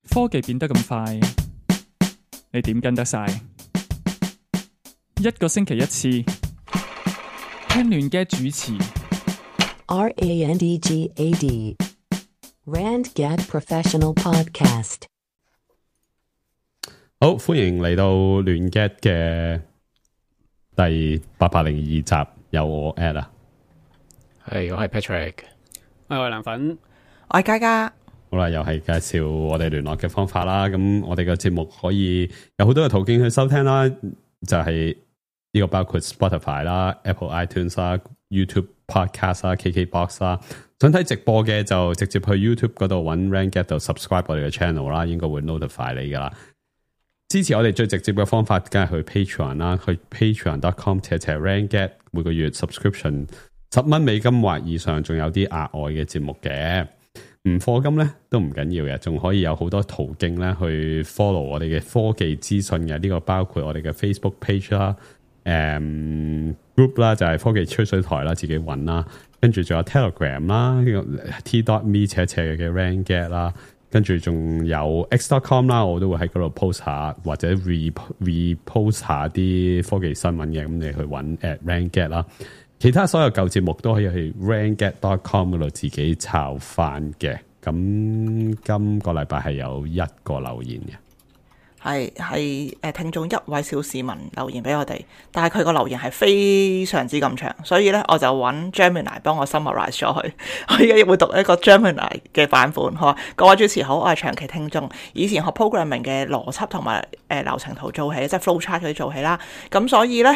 科技變得咁快，你點跟得晒？一個星期一次，聽亂嘅主持。RANDGAD RandGad Professional Podcast。好，歡迎嚟到亂 get 嘅第802集，有我 Ed 啊，係我係 Patrick，我係藍粉，我係嘉嘉。好啦，又係介紹我哋聯絡嘅方法啦。咁我哋嘅節目可以有好多嘅途徑去收聽啦，就係呢個包括 Spotify 啦、Apple iTunes 啦、YouTube Podcast 啦、KKBox 啦。想睇直播嘅就直接去 YouTube 嗰度揾 RandGad 度 subscribe 我哋嘅 channel 啦，應該會 notify 你噶啦。支持我哋最直接嘅方法，梗係去 Patreon 啦，去 patreon.com/RandGad， 每個月 subscription $10或以上，仲有啲額外嘅節目嘅。唔課金咧都唔緊要嘅，仲可以有好多途徑咧去 follow 我哋嘅科技資訊嘅。呢個包括我哋嘅 Facebook page 啦、group 啦，就係科技吹水台啦，自己揾啦。跟住仲有 Telegram 啦，呢個 t.me/ 嘅 RandGad 啦。跟住仲有 x.com 啦，我都會喺嗰度 post 下或者 repost 下啲科技新聞嘅，咁你去揾 @RandGad 啦。其他所有舊節目都可以去 randgad.com 嗰度自己抄翻嘅。咁今個禮拜係有一個留言嘅，係聽眾一位小市民留言俾我哋，但係佢個留言係非常之咁長，所以咧我就揾 Gemini 幫我 summarize 咗佢。我而家會讀一個 Gemini 嘅版本。佢話：各位主持好，我係長期聽眾，以前學 programming 嘅邏輯同埋流程圖做起，即係 flowchart 嗰啲做起啦。咁所以咧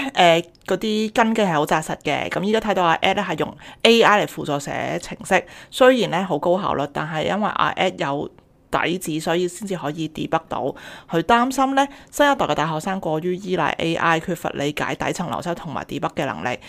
嗰啲根基係好紮實嘅。咁依家睇到阿 Ed 咧係用 AI 嚟輔助寫程式，雖然咧好高效率，但係因為阿 Ed 有底子，所以先至可以 debug 到。佢擔心咧，新一代嘅大學生過於依賴 AI， 缺乏理解底層邏輯同埋 debug 嘅能力。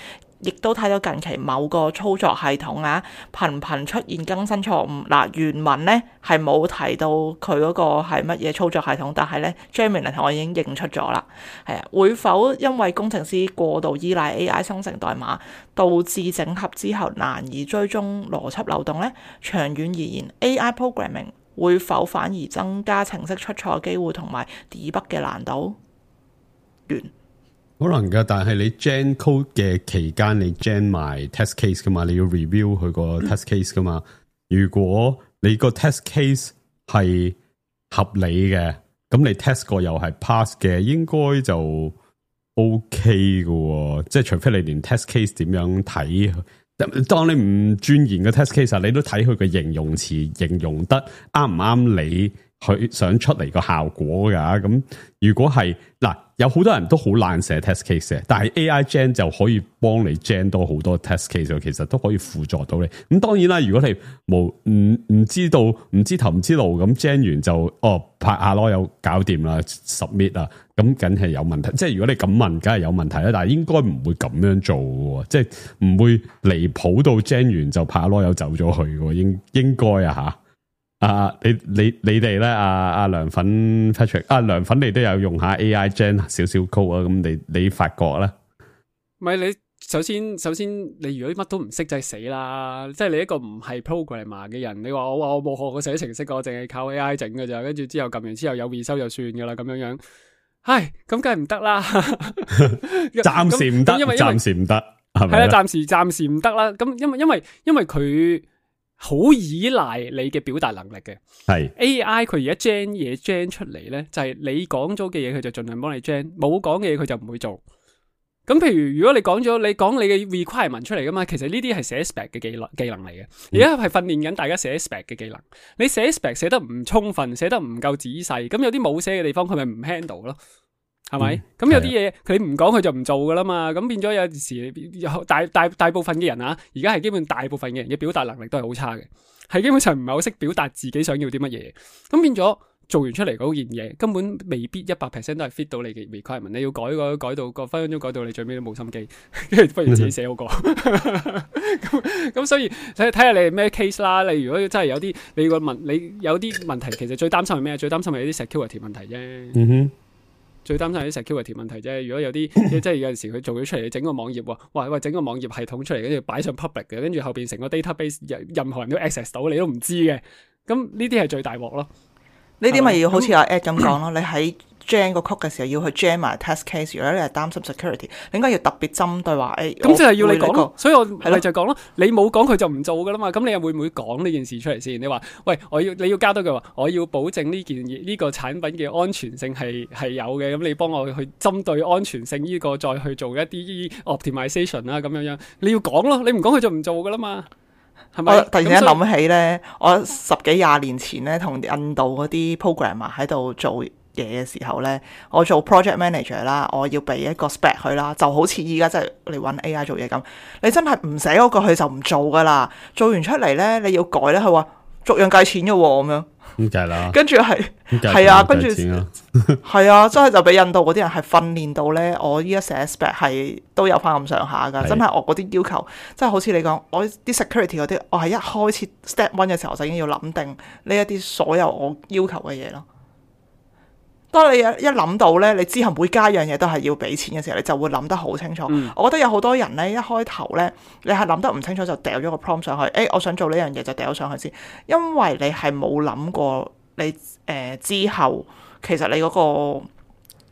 亦都睇到近期某個操作系統啊，頻頻出現更新錯誤。嗱，原文咧係冇提到佢嗰個係乜嘢操作系統，但係咧 Gemini 同我已經認出咗啦。係啊，會否因為工程師過度依賴 AI 生成代碼，導致整合之後難以追蹤邏輯漏洞咧？長遠而言 ，AI programming 會否反而增加程式出錯機會同埋 debug 嘅難度？完。可能噶，但係你 gen code 嘅期間，你 gen 埋 test case 噶嘛，你要 review 佢個 test case 噶嘛。如果你個 test case 係合理嘅，咁你 test 過又係 pass 嘅，應該就 OK 噶。即係除非你連 test case 點樣睇，當你唔鑽研個 test case，你都睇佢嘅形容詞形容得啱唔啱你佢想出嚟個效果噶。咁如果係嗱，有好多人都好懶寫 test case 嘅，但係 AI gen 就可以幫你 gen 多好多 test case， 其實都可以輔助到你。咁當然啦，如果你唔知道唔知頭唔知路咁 gen 完就拍下囉又搞掂啦 submit 啊，咁梗係有問題。即係如果你咁問，梗係有問題啦。但係應該唔會咁樣做嘅，即係唔會離譜到 gen 完就拍下囉又走咗去嘅，應該啊吓。你哋咧，阿涼粉 Patrick， 涼粉你都有用下 AI gen 少少 code 啊，咁你發覺咧？唔係你首先你如果乜都唔識就係死啦，即係你一個唔係 programmer 嘅人，你話我冇學過寫程式，我淨係靠 AI 整㗎咋，跟住之後撳完之後有 result 就算噶啦，咁樣，唉，咁梗係唔得啦，暫時唔得，暫時唔得，係咪？係啦，暫時唔得啦，咁因為佢好依賴你嘅表達能力嘅，係 AI 佢而家 gen 嘢 gen 出嚟咧，就係你講咗嘅嘢，佢就盡量幫你 gen，冇講嘅嘢佢就唔會做。咁譬如如果你講你嘅 requirement 出嚟噶嘛，其實呢啲係寫 spec 嘅技能嚟嘅，而家係訓練緊大家寫 spec 嘅技能。你寫 spec 寫得唔充分，寫得唔夠仔細，咁有啲冇寫嘅地方，佢咪唔 handle 咯。係咪？咁有啲嘢佢唔講佢就唔做噶啦嘛，咁變咗有時大部分嘅人啊，而家係基本大部分嘅人嘅表達能力都係好差嘅，係基本上唔係好識表達自己想要啲乜嘢，咁變咗做完出嚟嗰件嘢根本未必100% 都係 fit 到你嘅 requirement， 你要改到個分分鐘改到你最尾都冇心機，跟住不如自己寫好個。咁所以睇下你係咩 case 啦。你如果真係有啲你有啲問題，其實最擔心係咩？最擔心係啲 security 問題啫。最擔心係啲 security 問題啫。如果有啲即係有陣時佢做咗出嚟，你整個網頁喎，喂整個網頁系統出嚟，跟住擺上 public 嘅，跟住後邊成個 database 任何人都 access 到，你都唔知嘅。咁呢啲係最大鑊咯。呢啲咪要好似阿 Ed 咁講咯，你喺 jam 個 code 嘅時候要去 jam 埋 test case， 如果你係擔心 security， 你應該要特別針對話誒，咁就係要你講咯，所以我係咪就講咯，你冇講佢就唔做噶啦嘛，咁你又會唔會講呢件事出嚟先？你話喂，你要加多句話，我要保證呢個產品嘅安全性係有嘅，咁你幫我去針對安全性呢個再去做一啲 optimization 啦，咁樣你要講咯，你唔講佢就唔做噶啦嘛。係咪？我突然間諗起咧，我10幾20年前咧，同印度嗰啲 programmer 喺度做嘢嘅時候咧，我做 project manager 啦，我要俾一個 spec 佢啦，就好似依家即係你揾 AI 做嘢咁，你真係唔寫嗰個佢就唔做噶啦，做完出嚟咧你要改咧，佢話逐樣計錢嘅喎咁樣。咁計啦，跟住係啊，跟住係啊，真係就俾印度嗰啲人係訓練到咧，我依家寫 spec 係都有翻咁上下噶，真係我嗰啲要求，真係好似你講，我啲 security 嗰啲，我係一開始 step 1嘅時候就已經要諗定呢一啲所有我要求嘅嘢咯。當你一諗到咧，你之後每加一樣嘢都係要俾錢嘅時候，你就會諗得好清楚。我覺得有好多人咧，一開頭咧，你係諗得唔清楚就掉咗個 prompt 上去，我想做呢樣嘢就掉咗上去先，因為你係冇諗過你之後其實你嗰個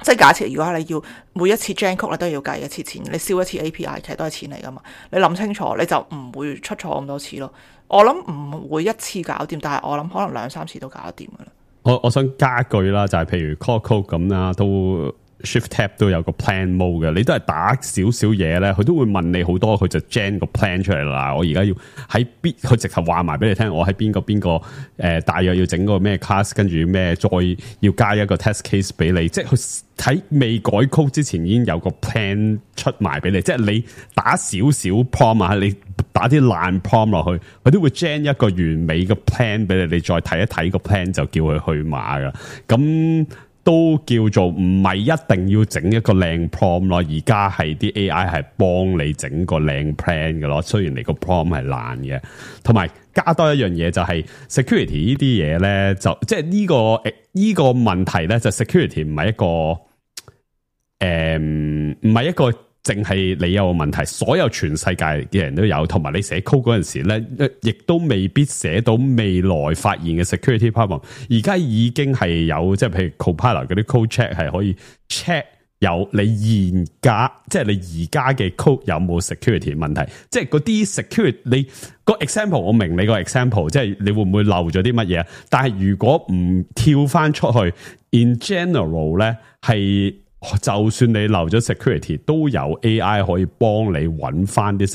即係假設，如果你要每一次 gen code 你都要計一次錢，你燒一次 API 其實都係錢嚟噶嘛。你諗清楚你就唔會出錯咁多次咯。我諗唔會一次搞掂，但係我諗可能2-3次都搞得掂噶啦。我想加句啦，就係譬如 call code 咁啦，都 shift tab 都有個 plan mode 嘅，你都係打少少嘢咧，佢都會問你好多，佢就 gen 個 plan 出嚟啦。我而家要喺邊，佢直頭話埋俾你聽，我喺邊個大約要整個咩 class， 跟住咩再要加一個 test case 俾你，即係佢喺未改 code 之前已經有個 plan 出埋俾你，即係你打少少 prompt 啊，你打啲爛 prompt 落去，佢都會 gen 一個完美嘅 plan 俾你，你再睇一睇個 plan 就叫佢去碼噶。咁都叫做唔係一定要整一個靚 prompt 咯，而家係啲 AI 係幫你整個靚 plan 嘅咯。雖然你個 prompt 係爛嘅，同埋加多一樣嘢就係 security 呢啲嘢咧，就即係呢個問題咧，就 security 唔係一個淨係你有個問題，所有全世界嘅人都有，同埋你寫 code 嗰陣時咧，亦都未必寫到未來發現嘅 security problem。而家已經係有，即係譬如 Copilot 嗰啲 code check 係可以 check 有你現家，即係你而家嘅 code 有冇 security 問題。即係嗰啲 security，你個 example 我明你個 example， 即係你會唔會漏咗啲乜嘢？但係如果唔跳翻出去 ，in general 咧係。就算你漏咗 security， 都有 AI 可以幫你揾翻啲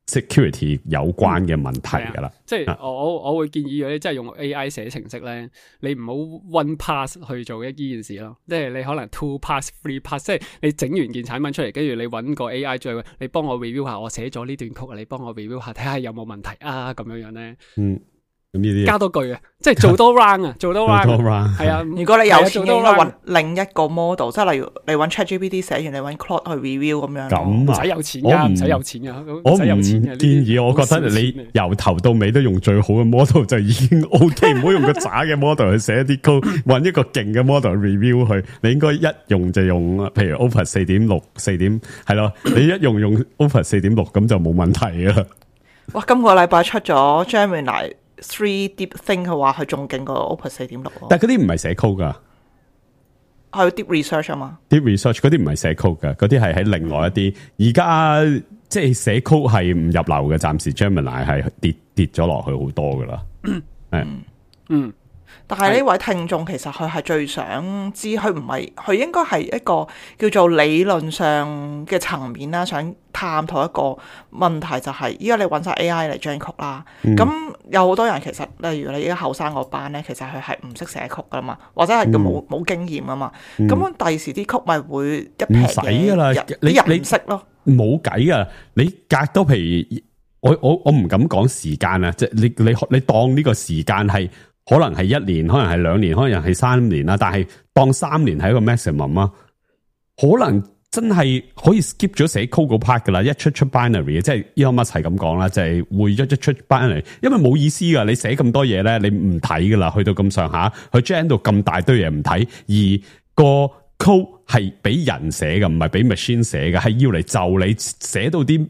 security 有關嘅問題噶啦。即係我會建議你即係用 AI 寫程式咧，你唔好 one pass 去做一件事咯。即係你可能 two pass、three pass， 即係你整完件產品出嚟，跟住你揾個 AI 再你幫我 review 下，我寫咗呢段曲，你幫我 review 下，睇下有冇問題啊，咁樣咧。加多句啊，即係做多 round 啊，做多 round 係啊。如果你有錢，應該揾另一個 model， 即係例如你揾 ChatGPT 寫完，你揾 Claude 去 review 咁樣。咁啊，唔使有錢噶，唔使有錢噶，我唔建議。我覺得你由頭到尾都用最好嘅 model 就已經 OK， 唔好用個渣嘅 model 去寫啲 code， 揾一個勁嘅 model review 佢。你應該一用就用，譬如 Opus 4.6 係咯，你一用 Opus 4.6 咁就冇問題啦。哇！今個禮拜出咗 Gemini 3 Deep Think 嘅話，佢仲勁過 Opus 4.6。但係嗰啲唔係寫 code 噶，係 deep research 啊嘛。deep research 嗰啲唔係寫 code 噶，嗰啲係喺另外一啲。而家即係寫 code 係唔入流嘅，暫時 Gemini 係跌咗落去好多噶啦。但係呢位聽眾其實佢係最想知，佢唔係佢應該係一個叫做理論上嘅層面啦，想探討一個問題就係依家你揾晒 AI 嚟 gen code 啦。咁有好多人其實例如你而家後生嗰班咧，其實佢係唔識寫曲噶嘛，或者係佢冇經驗啊嘛。咁第時啲曲咪會一撇嘢噶啦，啲人唔識咯，冇計噶。你隔多譬如我唔敢講時間啊，即係你當呢個時間係。可能係1年，可能係2年，可能係3年啦。但係當3年係一個 maximum 啊，可能真係可以 skip 咗寫 code 嗰 part 噶啦。一出 binary， 即係 Elon Musk 係咁講啦，就係會一出 binary， 因為冇意思噶。你寫咁多嘢咧，你唔睇噶啦。去到咁上下，佢 gen 到咁大堆嘢唔睇，而個 code 係俾人寫嘅，唔係俾 machine 寫嘅，係要嚟就你寫到啲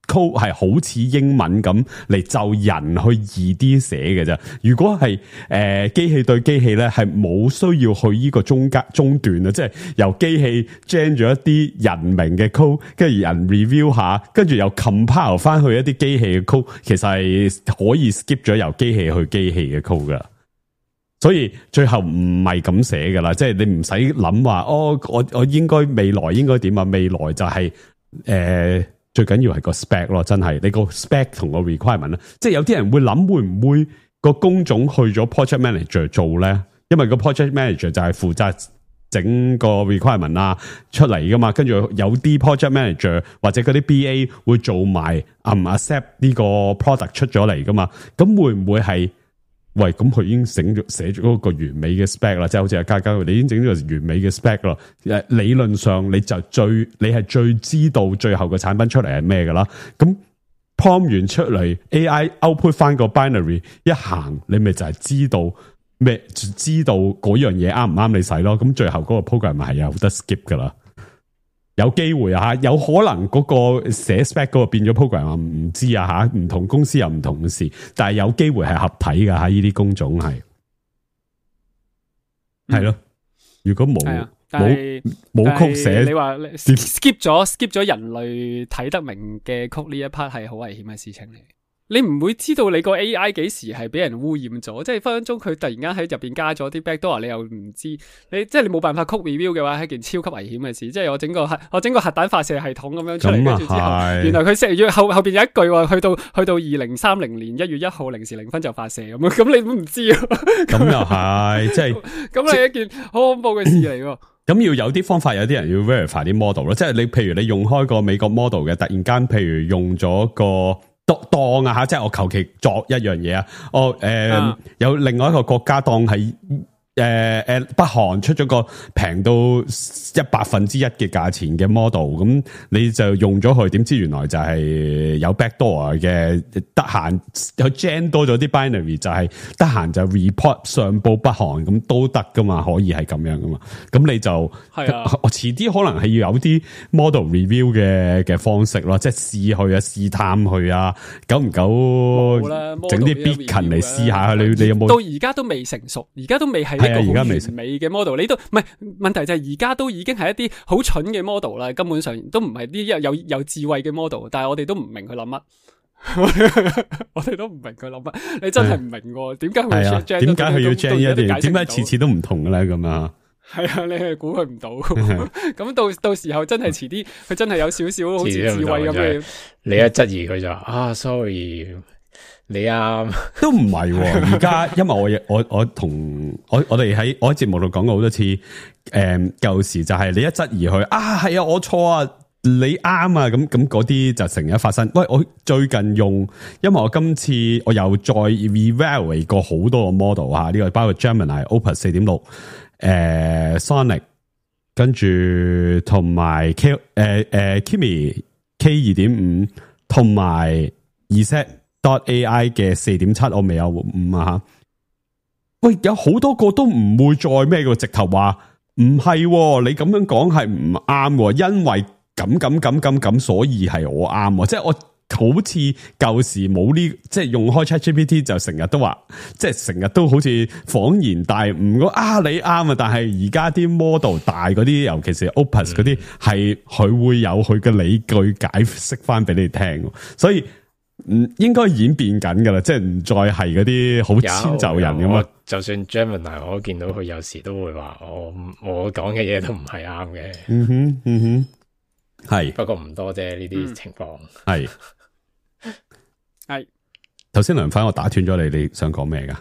code 係好似英文咁嚟就人去易啲寫嘅啫。如果係機器對機器咧，係冇需要去呢個中段啊，即係由機器 gen 咗一啲人名嘅 code， 跟住人 review 下，跟住又 compile 翻去一啲機器嘅 code， 其實係可以 skip 咗由機器去機器嘅 code 噶。所以最後唔係咁寫噶啦，即係你唔使諗話我應該未來應該點啊？未來就係最緊要係個 spec 咯，真係你個 spec 同個 requirement 啦。即係有啲人會諗會唔會個工種去咗 project manager 做咧？因為個 project manager 就係負責整個 requirement 啊出嚟噶嘛，跟住有啲 project manager 或者嗰啲 BA 會做埋accept 呢個 product 出咗嚟噶嘛，咁會唔會係？喂，咁佢已經寫咗嗰個完美嘅 spec 啦，即係好似阿嘉嘉，你已經整咗個完美嘅 spec 啦。理論上你係最知道最後個產品出嚟係咩噶啦。咁 prompt 完出嚟 ，AI output 翻個 binary 一行，你咪就係知道咩？知道嗰樣嘢啱唔啱你使咯。咁最後嗰個 program 係有得 skip 噶啦。有機會啊，有可能嗰個寫 spec 嗰個變咗 program 啊，唔知啊吓，唔同公司有唔同嘅事，但係有機會係合體噶吓，呢啲工種係咯。如果冇曲寫，你話 skip 咗人類睇得明嘅曲呢一 part 係好危險嘅事情嚟。你唔會知道你個 AI 幾時係俾人污染咗，即係分分鐘佢突然間喺入邊加咗啲 backdoor， 你又唔知，即係你冇辦法 code review 嘅話，係件超級危險嘅事。即係我整個核彈發射系統咁樣出嚟，跟住之後，原來佢寫後邊有一句話，去到2030年1月1號0時0分就發射咁你都唔知啊。咁又係，即係咁係一件好恐怖嘅事嚟喎。咁要有啲方法，有啲人要 verify 啲 model 咯，即係你譬如你用開個美國 model 嘅，突然間譬如用咗個。當啊吓，即係我求其作一樣嘢啊！有另外一個國家當係北韓出咗個平到100%嘅價錢嘅 model， 咁你就用咗佢，點知原來就係有 backdoor 嘅，得閒有 gen 多咗啲 binary， 就係得閒就 report 上報北韓咁都得噶嘛，可以係咁樣噶嘛，咁你就我遲啲可能係要有啲 model review 嘅方式咯，即係試去啊，試探去啊，久唔久整啲 beacon 嚟試下，你有冇？到而家都未成熟，而家都未係。係啊，而家未完美嘅 model， 你都唔係問題就係而家都已經係一啲好蠢嘅 model 啦，根本上都唔係啲有智慧嘅 model， 但係我哋都唔明佢諗乜，我哋都唔明佢諗乜，你真係唔明喎，點解佢要 gen？ 點解佢要 gen 一啲？點解次次都唔同嘅咧？咁啊？係啊，你係估佢唔到，咁到時候真係遲啲，佢真係有少少好似智慧咁嘅，你一質疑佢就sorry。你都唔係而家，因為我同我哋喺我喺節目度講過好多次，舊時就係你一質疑佢係啊，我錯啊，你啱啊，咁嗰啲就成日發生。喂，我最近用，因為我今次我又再 revalidate 過好多個 model 呢個包括 Gemini、Opus 4.6、Sonic， 跟住同埋Kimi K 2.5同埋 Z.AI 嘅 4.7 我未有5啊吓，喂，有好多個都唔會再咩嘅，直頭話唔係，你咁樣講係唔啱，因為咁，所以係我啱，即係我好似舊時冇呢，即係用開 ChatGPT 就成日都話，即係成日都好似恍然大悟你啱啊，但係而家啲 model 大嗰啲，尤其是 Opus 嗰啲，係佢會有佢嘅理據解釋翻俾你聽，所以。應該演變緊噶啦，即係唔再係嗰啲好遷就人咁啊。就算 Gemini 我見到佢有時都會話我講嘅嘢都唔係啱嘅。係，不過唔多啫呢啲情況。係。頭先梁粉我打斷咗你想講咩噶？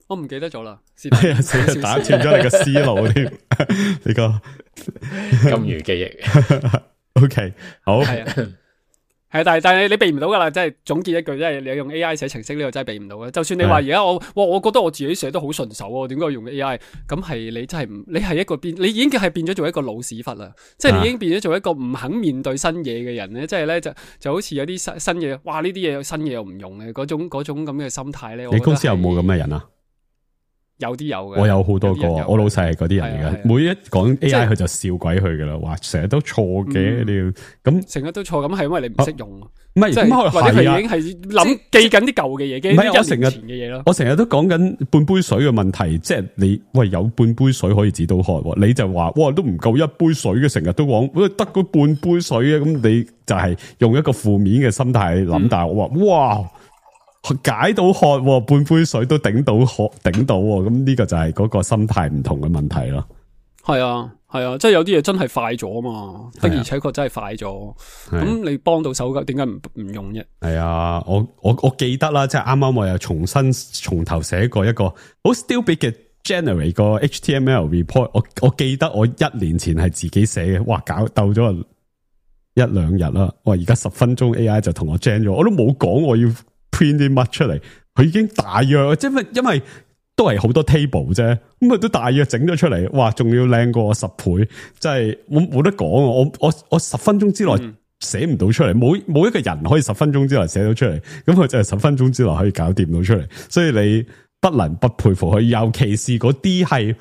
我唔記得咗啦。係啊，打斷咗你個思路添。你個金魚記憶。OK， 好。係，但係你避唔到噶啦，即係總結一句，即係你用 AI 寫程式呢個真係避唔到嘅。就算你話而家我覺得我自己寫得好順手啊，點解用 AI？ 咁係你真係你係一個你已經係變咗做一個老屎忽啦，即係你已經變咗做一個唔肯面對新嘢嘅人咧，即係咧就好似有啲新嘢，哇呢啲嘢新嘢又唔用嘅嗰種咁嘅心態咧。你公司有冇咁嘅人啊？有啲有嘅，我有好多個，我老細係嗰啲人嚟嘅，每一講 AI 佢就笑鬼佢噶啦，話成日都錯嘅，你要咁成日都錯，咁係因為你唔識用，唔係，或者佢已經係諗記緊啲舊嘅嘢，記緊1年前嘅嘢咯。我成日都講緊半杯水嘅問題，即係你喂有半杯水可以止到渴，你就話哇都唔夠一杯水嘅，成日都講得嗰半杯水嘅，咁你就係用一個負面嘅心態諗，但係我話哇。解到渴，半杯水都頂到渴，頂到，咁呢個就係嗰個心態唔同嘅問題咯。係啊，即係有啲嘢真係快咗嘛，的而且確真係快咗。咁你幫到手嘅，點解唔用啫？係啊，我記得啦，即係啱啱我又從頭寫過一個好 stupid 嘅 generate 個 HTML report。我記得我1年前係自己寫嘅，哇，搞鬥咗1-2日啦。哇，而家10分鐘 AI 就同我 gen 咗，我都冇講我要print 啲乜出嚟，佢已經大約，即係因為都係好多 table 啫，咁佢都大約整咗出嚟，哇，仲要靚過我10倍，真係冇得講啊！我10分鐘之內寫唔到出嚟，冇一個人可以10分鐘之內寫到出嚟，咁佢就係10分鐘之內可以搞掂到出嚟，所以你不能不佩服佢，尤其是嗰啲係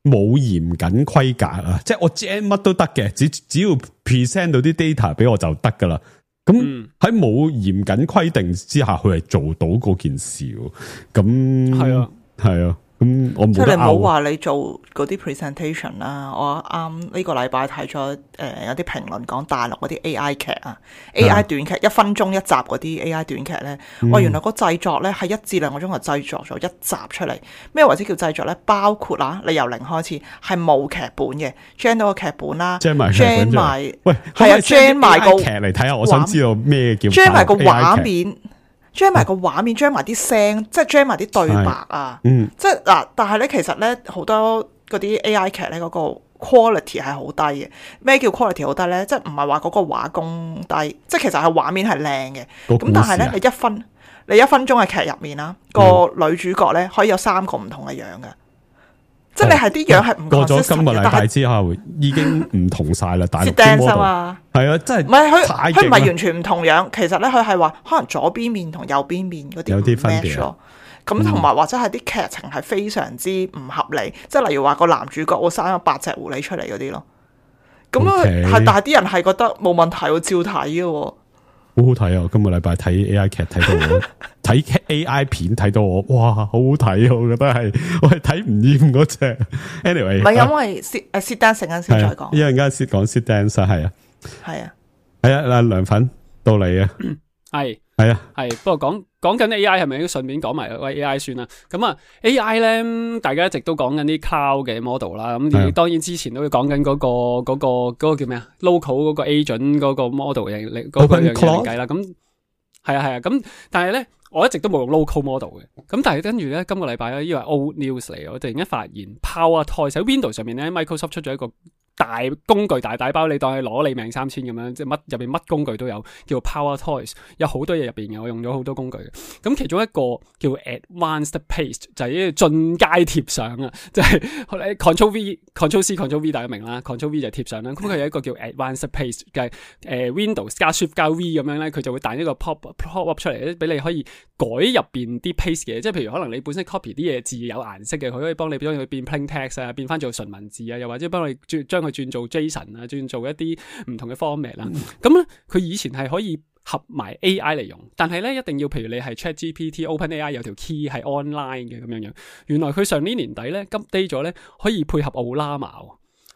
冇嚴謹規格啊，即係我 gen 乜都得嘅，只要 present 到啲 data 俾我就得噶啦。咁喺冇嚴謹規定之下，佢係做到嗰件事。咁係啊，咁我冇得拗。即係你唔好話你做嗰啲 presentation 啦。我啱呢個禮拜睇咗有啲評論講大陸嗰啲 AI 劇啊，AI 短劇1分鐘1集嗰啲 AI 短劇咧，原來個製作咧係1至2個鐘就製作咗1集出嚟。咩為之叫製作咧？包括你由零開始係冇劇本嘅 ，gen 到個劇本啦 ，gen 埋喂，係啊 ，gen 埋個劇嚟睇下，我想知道咩叫 gen 埋個畫面。將埋個畫面，將埋啲聲，即係將埋啲對白啊！即係嗱，但係咧，其實咧好多嗰啲 AI 劇咧，嗰個 quality 係好低嘅。咩叫 quality 好低咧？即係唔係話嗰個畫工低，即係其實係畫面係靚嘅。咁但係咧，你1分鐘嘅劇入面啦，個女主角咧可以有3個唔同嘅樣嘅。即係你係啲樣係唔過咗今個禮拜之後，已經唔同晒啦。大陸 model 係啊，真係唔係佢唔係完全唔同樣。其實咧，佢係話可能左邊面同右邊面嗰啲有啲分別咯。咁同埋或者係啲劇情係非常之唔合理。即係例如話個男主角會生咗8隻狐狸出嚟嗰啲咯。咁係，但係啲人係覺得冇問題，照睇嘅。好好睇啊！今個禮拜睇 AI 劇睇到我睇 AI 片睇到我，哇，好好睇啊！我覺得係我係睇唔厭嗰隻。Anyway， 唔係因為sit dancing 陣時再講，一陣間先講 sit dance 係啊，係啊，係啊，涼粉到你啊，係啊，係。不過講緊 AI 係咪都順便講埋喂 AI 算啦？咁啊 AI 咧，大家一直都講緊啲 cloud 嘅 model 啦。咁當然之前都會講緊嗰個叫咩啊 ？local 嗰個 agent 嗰個 model 嗰個樣嘢計啦。咁係啊。咁但係咧，我一直都冇用 local model 嘅。咁但係跟住咧，今個禮拜咧，呢個係 old news 嚟，我突然間發現 PowerToys 喺 Windows 上面咧 ，Microsoft 出咗一個大工具大包，你當係攞你命3000咁樣，即係乜入邊乜工具都有，叫 PowerToys， 有好多嘢入邊嘅，我用咗好多工具嘅。咁其中一個叫 Advanced Paste， 就係呢個進階貼上啊，即係 Ctrl V、Ctrl C、Ctrl V 大家明啦 ，Ctrl V 就係貼上啦。咁佢有一個叫 Advanced Paste 嘅Windows 加 Shift 加 V 咁樣咧，佢就會彈一個 pop up 出嚟咧，俾你可以改入邊啲 paste 嘅，即係譬如可能你本身 copy 啲嘢字有顏色嘅，佢可以幫你將佢變 plain text 啊，變翻做純文字啊，又或者幫你將佢轉做 JSON 啊，轉做一啲唔同嘅 format 啦。咁咧，佢以前係可以合埋 AI 嚟用，但係咧一定要譬如你係 ChatGPT、OpenAI 有條 key 係 online 嘅咁樣。原來佢上年年底咧 update 咗咧，可以配合 Ollama，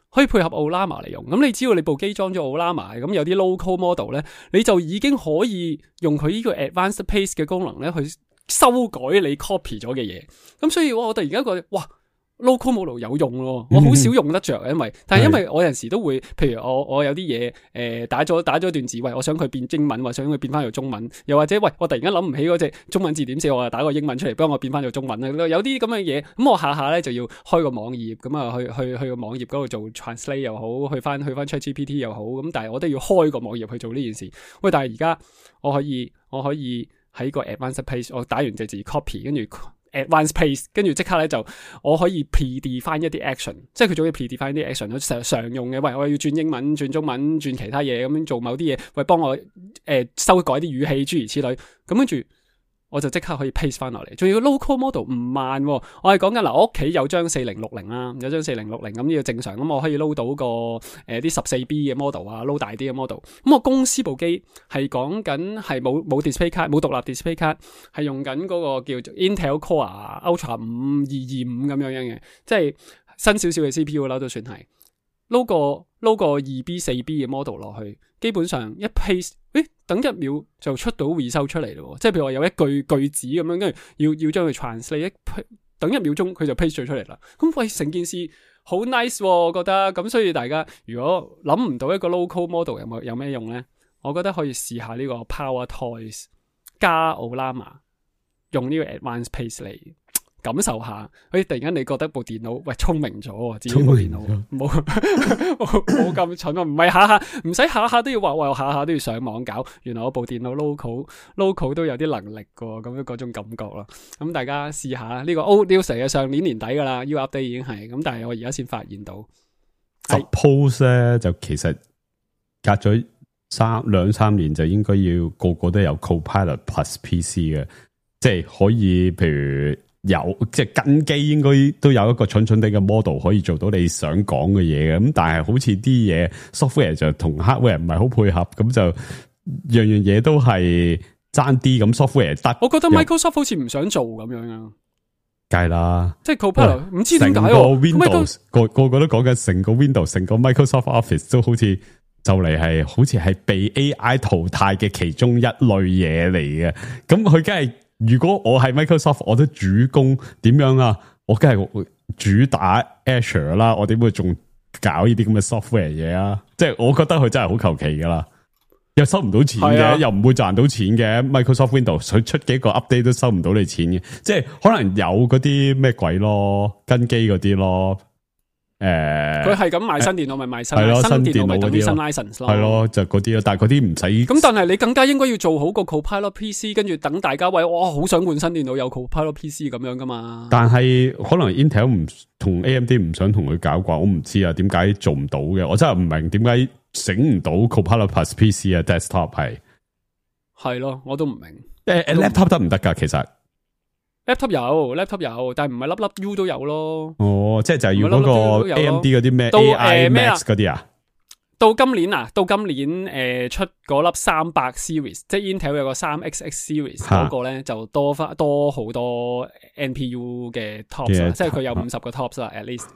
可以配合 Ollama 嚟用。咁你只要你部機裝咗 Ollama， 咁有啲 local model 咧，你就已經可以用佢呢個 advanced paste 嘅功能咧去修改你 copy 咗嘅嘢。咁所以我突然間覺得哇！local model 有用咯，我好少用得着，但係因為我有陣時都會，譬如我有啲嘢打咗段字，喂，我想佢變英文，或想佢變翻做中文，又或者喂，我突然間諗唔起嗰隻中文字點寫，我就打個英文出嚟，幫我變翻做中文啦。有啲咁嘅嘢，咁我下咧就要開個網頁，咁啊去個網頁嗰度做 translate 又好，去翻 ChatGPT 又好，咁但係我都要開個網頁去做呢件事。喂，但係而家我可以喺個 advanced paste， 我打完隻字 copy， 跟住Advanced Paste， 跟住即刻咧就我可以 predefine 一啲 action， 即係佢仲要 predefine 啲 action， 常用嘅。喂，我要轉英文、轉中文、轉其他嘢咁樣做某啲嘢，喂，幫我修改啲語氣諸如此類。咁跟住我就即刻可以 paste 翻落嚟，仲要 local model 唔慢喎。我係講緊嗱，我屋企有張4060啦，有張4060咁呢個正常，咁我可以 load 到個啲14B 嘅 model 啊，load 大啲嘅 model。咁我公司部機係講緊係冇 display 卡，冇獨立 display 卡，係用緊嗰個叫做 Intel Core Ultra 5225咁樣嘅，即係新少少嘅 CPU 啦，都算係 load 個 2B 4B 嘅 model 落去，基本上一 paste，等1秒就出到 result 出嚟咯。即係譬如話有一句子咁樣，跟住要將佢 translate， 等1秒鐘佢就 paste 咗出嚟啦。咁喂，成件事好 nice，我覺得。咁所以大家如果諗唔到一個 local model 有咩用咧，我覺得可以試下呢個 Power Toys 加 Ollama 用呢個 Advanced Paste 嚟感受下。突然間你覺得部電腦聰明咗，自己部電腦冇咁蠢啊！唔係唔使下下都要畫，下下都要上網搞。原來我部電腦 local 都有啲能力噶，咁樣嗰種感覺啦。咁大家試下呢個 old news 嘅上年年底噶啦 ，U update 已經係咁，但係我而家先發現到。Suppose 咧就其實隔咗2-3年就應該要個個都有 Copilot Plus PC 嘅，即係可以譬如。即係跟機應該都有一個蠢蠢地嘅 model 可以做到你想講嘅嘢嘅，咁但係好似啲嘢 software 就同 hardware 唔係好配合，咁就樣嘢都係爭啲，咁 software 得。我覺得 Microsoft 好似唔想做咁樣啊，梗係啦，即係 Copilot 唔知點解成個 Windows 個個都講緊成個 Windows 成個 Microsoft Office 都好似就嚟係好似係被 AI 淘汰嘅其中一類嘢嚟嘅，咁佢梗係。如果我係 Microsoft， 我都主攻點樣啊？我梗係主打 Azure 啦，我點會仲搞呢啲咁嘅 software 嘢啊？即係我覺得佢真係好求其噶啦，又收唔到錢嘅，又唔會賺到錢嘅。Microsoft Windows 佢出幾個 update 都收唔到你錢嘅，即係可能有嗰啲咩鬼咯，跟機嗰啲咯。佢係咁賣新電腦，咪賣新電腦咪等於新 license 咯，係咯，就嗰啲咯。但係嗰啲唔使。咁但係你更加應該要做好個 Copilot PC， 跟住等大家喂，哇，好想換新電腦有 Copilot PC 咁樣噶嘛。但係可能 Intel 唔同 AMD 唔想同佢搞啩，我唔知啊，點解做唔到嘅？我真係唔明點解整唔到 Copilot Plus PC 啊 desktop 係咯，我都唔明。laptop 得唔得噶？其實。laptop 有，但係唔係粒粒 U 都有咯。哦，即係就係要嗰個 AMD 嗰啲咩 AI Max 嗰啲啊？到今年出嗰粒300 series， 即係 Intel 有個3XX series 嗰個咧就多好多 NPU 嘅 tops， 即係佢有50個 tops 啦 ，at least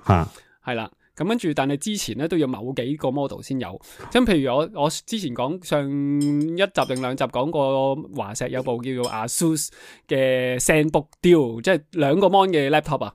係啦。咁跟住，但係之前咧都要某幾個 model 先有。咁譬如我之前講上1集定2集講過華碩有部叫做 ASUS 嘅 ZenBook Duo， 即係2個 mon 嘅 laptop 啊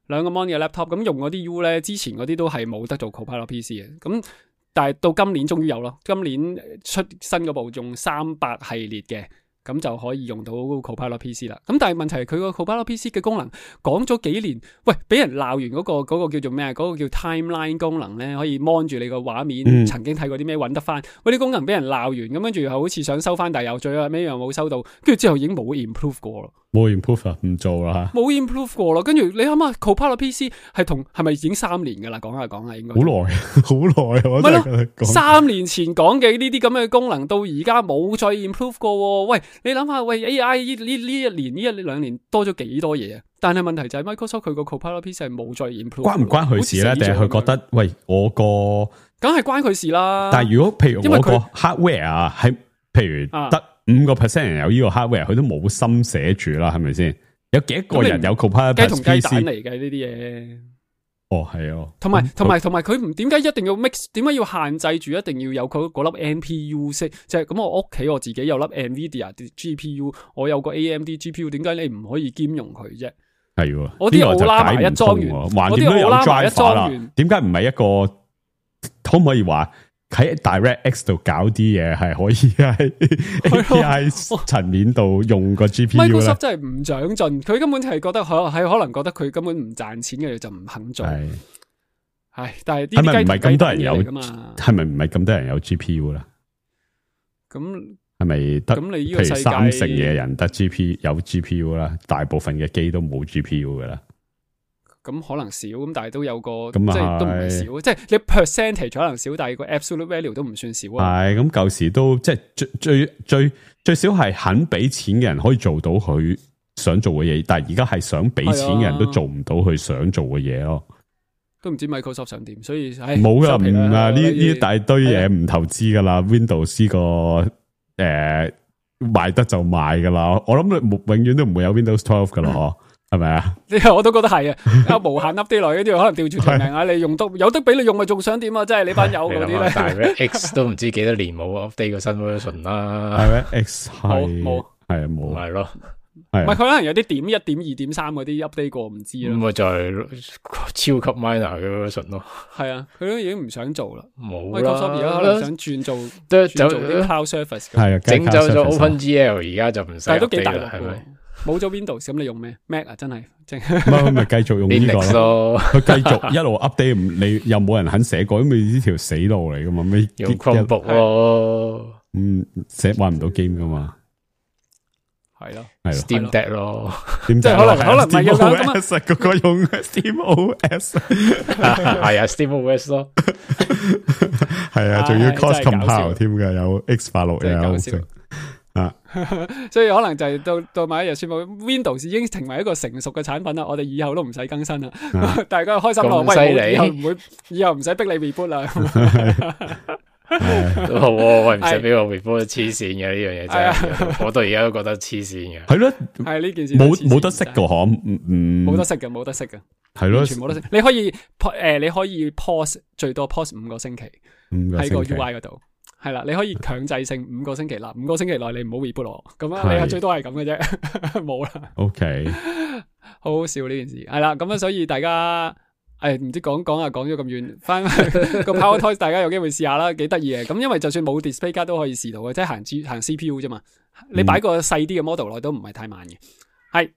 ，2個 mon 嘅 laptop。咁用嗰啲 U 咧，之前嗰啲都係冇得做 Copilot PC 嘅。咁但係到今年終於有咯，今年出新嗰部用300系列嘅。咁就可以用到 Copilot PC 啦。咁但係問題係佢個 Copilot PC 嘅功能講咗幾年，喂，俾人鬧完嗰個叫做咩啊？嗰個叫 timeline 功能咧，可以 mon 住你個畫面，曾經睇過啲咩揾得翻。嗰啲功能俾人鬧完，咁跟住又好似想收翻，但係又最後尾又冇收到，跟住之後已經冇 improve 過咯。冇 improve 啊，唔做啦。冇 improve 過咯，跟住你諗下 Copilot PC 係咪已經3年噶啦？講下應該。好耐，我真係講。3年前講嘅呢啲咁嘅功能，到而家冇再 improve 過。喂，你諗下，喂 AI 呢1-2年多咗幾多嘢啊？但係問題就係 Microsoft 佢個 Copilot PC 係冇再 improve。關唔關佢事咧？定係佢覺得喂我個？梗係關佢事啦。但係如果譬如我個 hardware 啊，係譬如得5% 人有呢個 hardware，佢都冇心寫住啦，係咪先？有幾多個人有 Copilot PC？雞同雞蛋嚟嘅呢啲嘢。哦，係哦。同埋佢唔點解一定要 mix？ 點解要限制住一定要有佢嗰粒 NPU 式？即係咁，我屋企我自己有粒 NVIDIA GPU， 我有個 AMD GPU， 點解你唔可以兼容佢啫？係喎，我啲奧拉麻一裝完，我啲奧拉麻一裝完，點解唔係一個？可唔可以話？喺 DirectX 度搞啲嘢係可以喺 API 層面度用個 GPU 咧。Microsoft 真係唔長進，佢根本就係覺得可能覺得佢根本唔賺錢嘅就唔肯做。係，但係係咪唔係咁多人有㗎嘛？係咪唔係咁多人有 GPU 啦？咁係咪得？咁你呢個世界譬如30%嘅人得有 GPU 啦，大部分嘅機都冇 GPU 噶啦。咁可能少，咁但係都有個即係都唔係少，即係你 percentage 可能少，但係個 absolute value 都唔算少啊。係咁舊時都即係最少係肯俾錢嘅人可以做到佢想做嘅嘢，但係而家係想俾錢嘅人都做唔到佢想做嘅嘢咯。都唔知 Microsoft 想點，所以冇噶，唔啊呢一大堆嘢唔投資噶啦 ，Windows 呢個賣得就賣噶啦，我諗永遠都唔會有 Windows 12噶咯，係咪啊？我都覺得係啊，無限 update 來，跟住可能調轉條命啊！你用得有得俾你用，咪仲想點啊？即係你班友嗰啲咧，但係 X 都唔知幾多年冇 update 個新 version 啦，係咩 ？X 冇係冇，係咯。唔係佢可能有啲點1、點2、點3嗰啲 update 過，唔知啦。咁咪就係超級 minor 嘅 version 咯。係啊，佢都已經唔想做啦。冇啦。Microsoft 而家可能想轉做啲 cloud service。係啊，整走咗 OpenGL，而家就唔使。但係都幾大啦，係咪？冇咗 Windows，咁你用咩 Mac 啊？真係，咪繼續用呢個咯。佢繼續一路 update，你又冇人肯寫過，因為呢條死路嚟噶嘛。咩用 Chromebook 咯？玩唔到 game 噶嘛。係咯，Steam Deck 咯，即係可能唔係有咁啊，個個用 Steam OS， 係啊 Steam OS 咯，係啊，仲要 cross compile 添嘅，有 X86有啊，所以可能就係到某一日宣布 Windows 已經成為一個成熟嘅產品啦，我哋以後都唔使更新啦，大家開心咯，喂，以後唔使逼你 reboot 啦。都好，喂，唔使俾我 reboot 黐線嘅呢樣嘢真係，我到而家都覺得黐線嘅。係咯，係呢件事冇得識噶嗬，冇得識嘅，冇得識嘅，係咯，全冇得識。你可以 pause 最多 pause 5個星期喺個 UI 嗰度，係啦，你可以強制性5個星期啦，5個星期內你唔好 reboot 我，咁啊，你係最多係咁嘅啫，冇啦。OK， 好好笑呢件事，係啦，咁啊，所以大家。唔知講咗咁遠，翻個 Power Toys 大家有機會試下啦，幾得意嘅。咁因為就算冇 display 卡都可以試到嘅，即係行 CPU 啫嘛。你擺個細啲嘅 model 內都唔係太慢嘅。係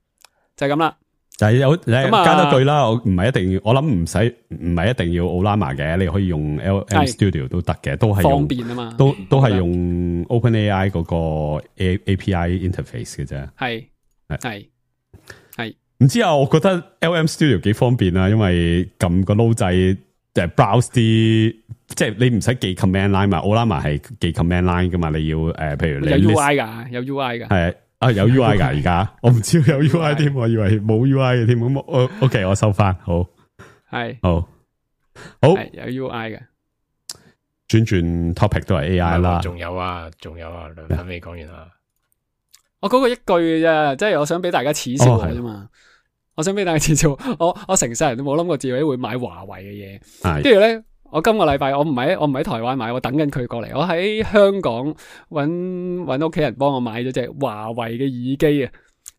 就係咁啦。但係加多句啦，我唔係一定要，我諗唔係一定要 Ollama 嘅，你可以用 LM Studio 都得嘅，都係方便啊嘛。都係用 OpenAI 嗰個 API interface 嘅啫。係。唔知啊，我覺得 LM Studio 幾方便啊，因為撳個撈掣browse 啲，即係你唔使記 command line 嘛 ，Ollama 係記 command line 噶嘛，你要譬如你有 UI 噶，有 UI 噶，係啊有 UI 噶而家，我唔知有 UI 添，我以為冇 UI 嘅添，咁OK 我收翻，好係好有 UI 嘅，轉 topic 都係 AI 啦，仲有啊，兩分未講完啊。我講過一句嘅啫，即係我想俾大家恥笑我啫嘛。我想俾大家恥笑，我成世人都冇諗過自己會買華為嘅嘢。跟住咧，我今個禮拜我唔喺台灣買，我等緊佢過嚟。我喺香港搵屋企人幫我買咗隻華為嘅耳機啊。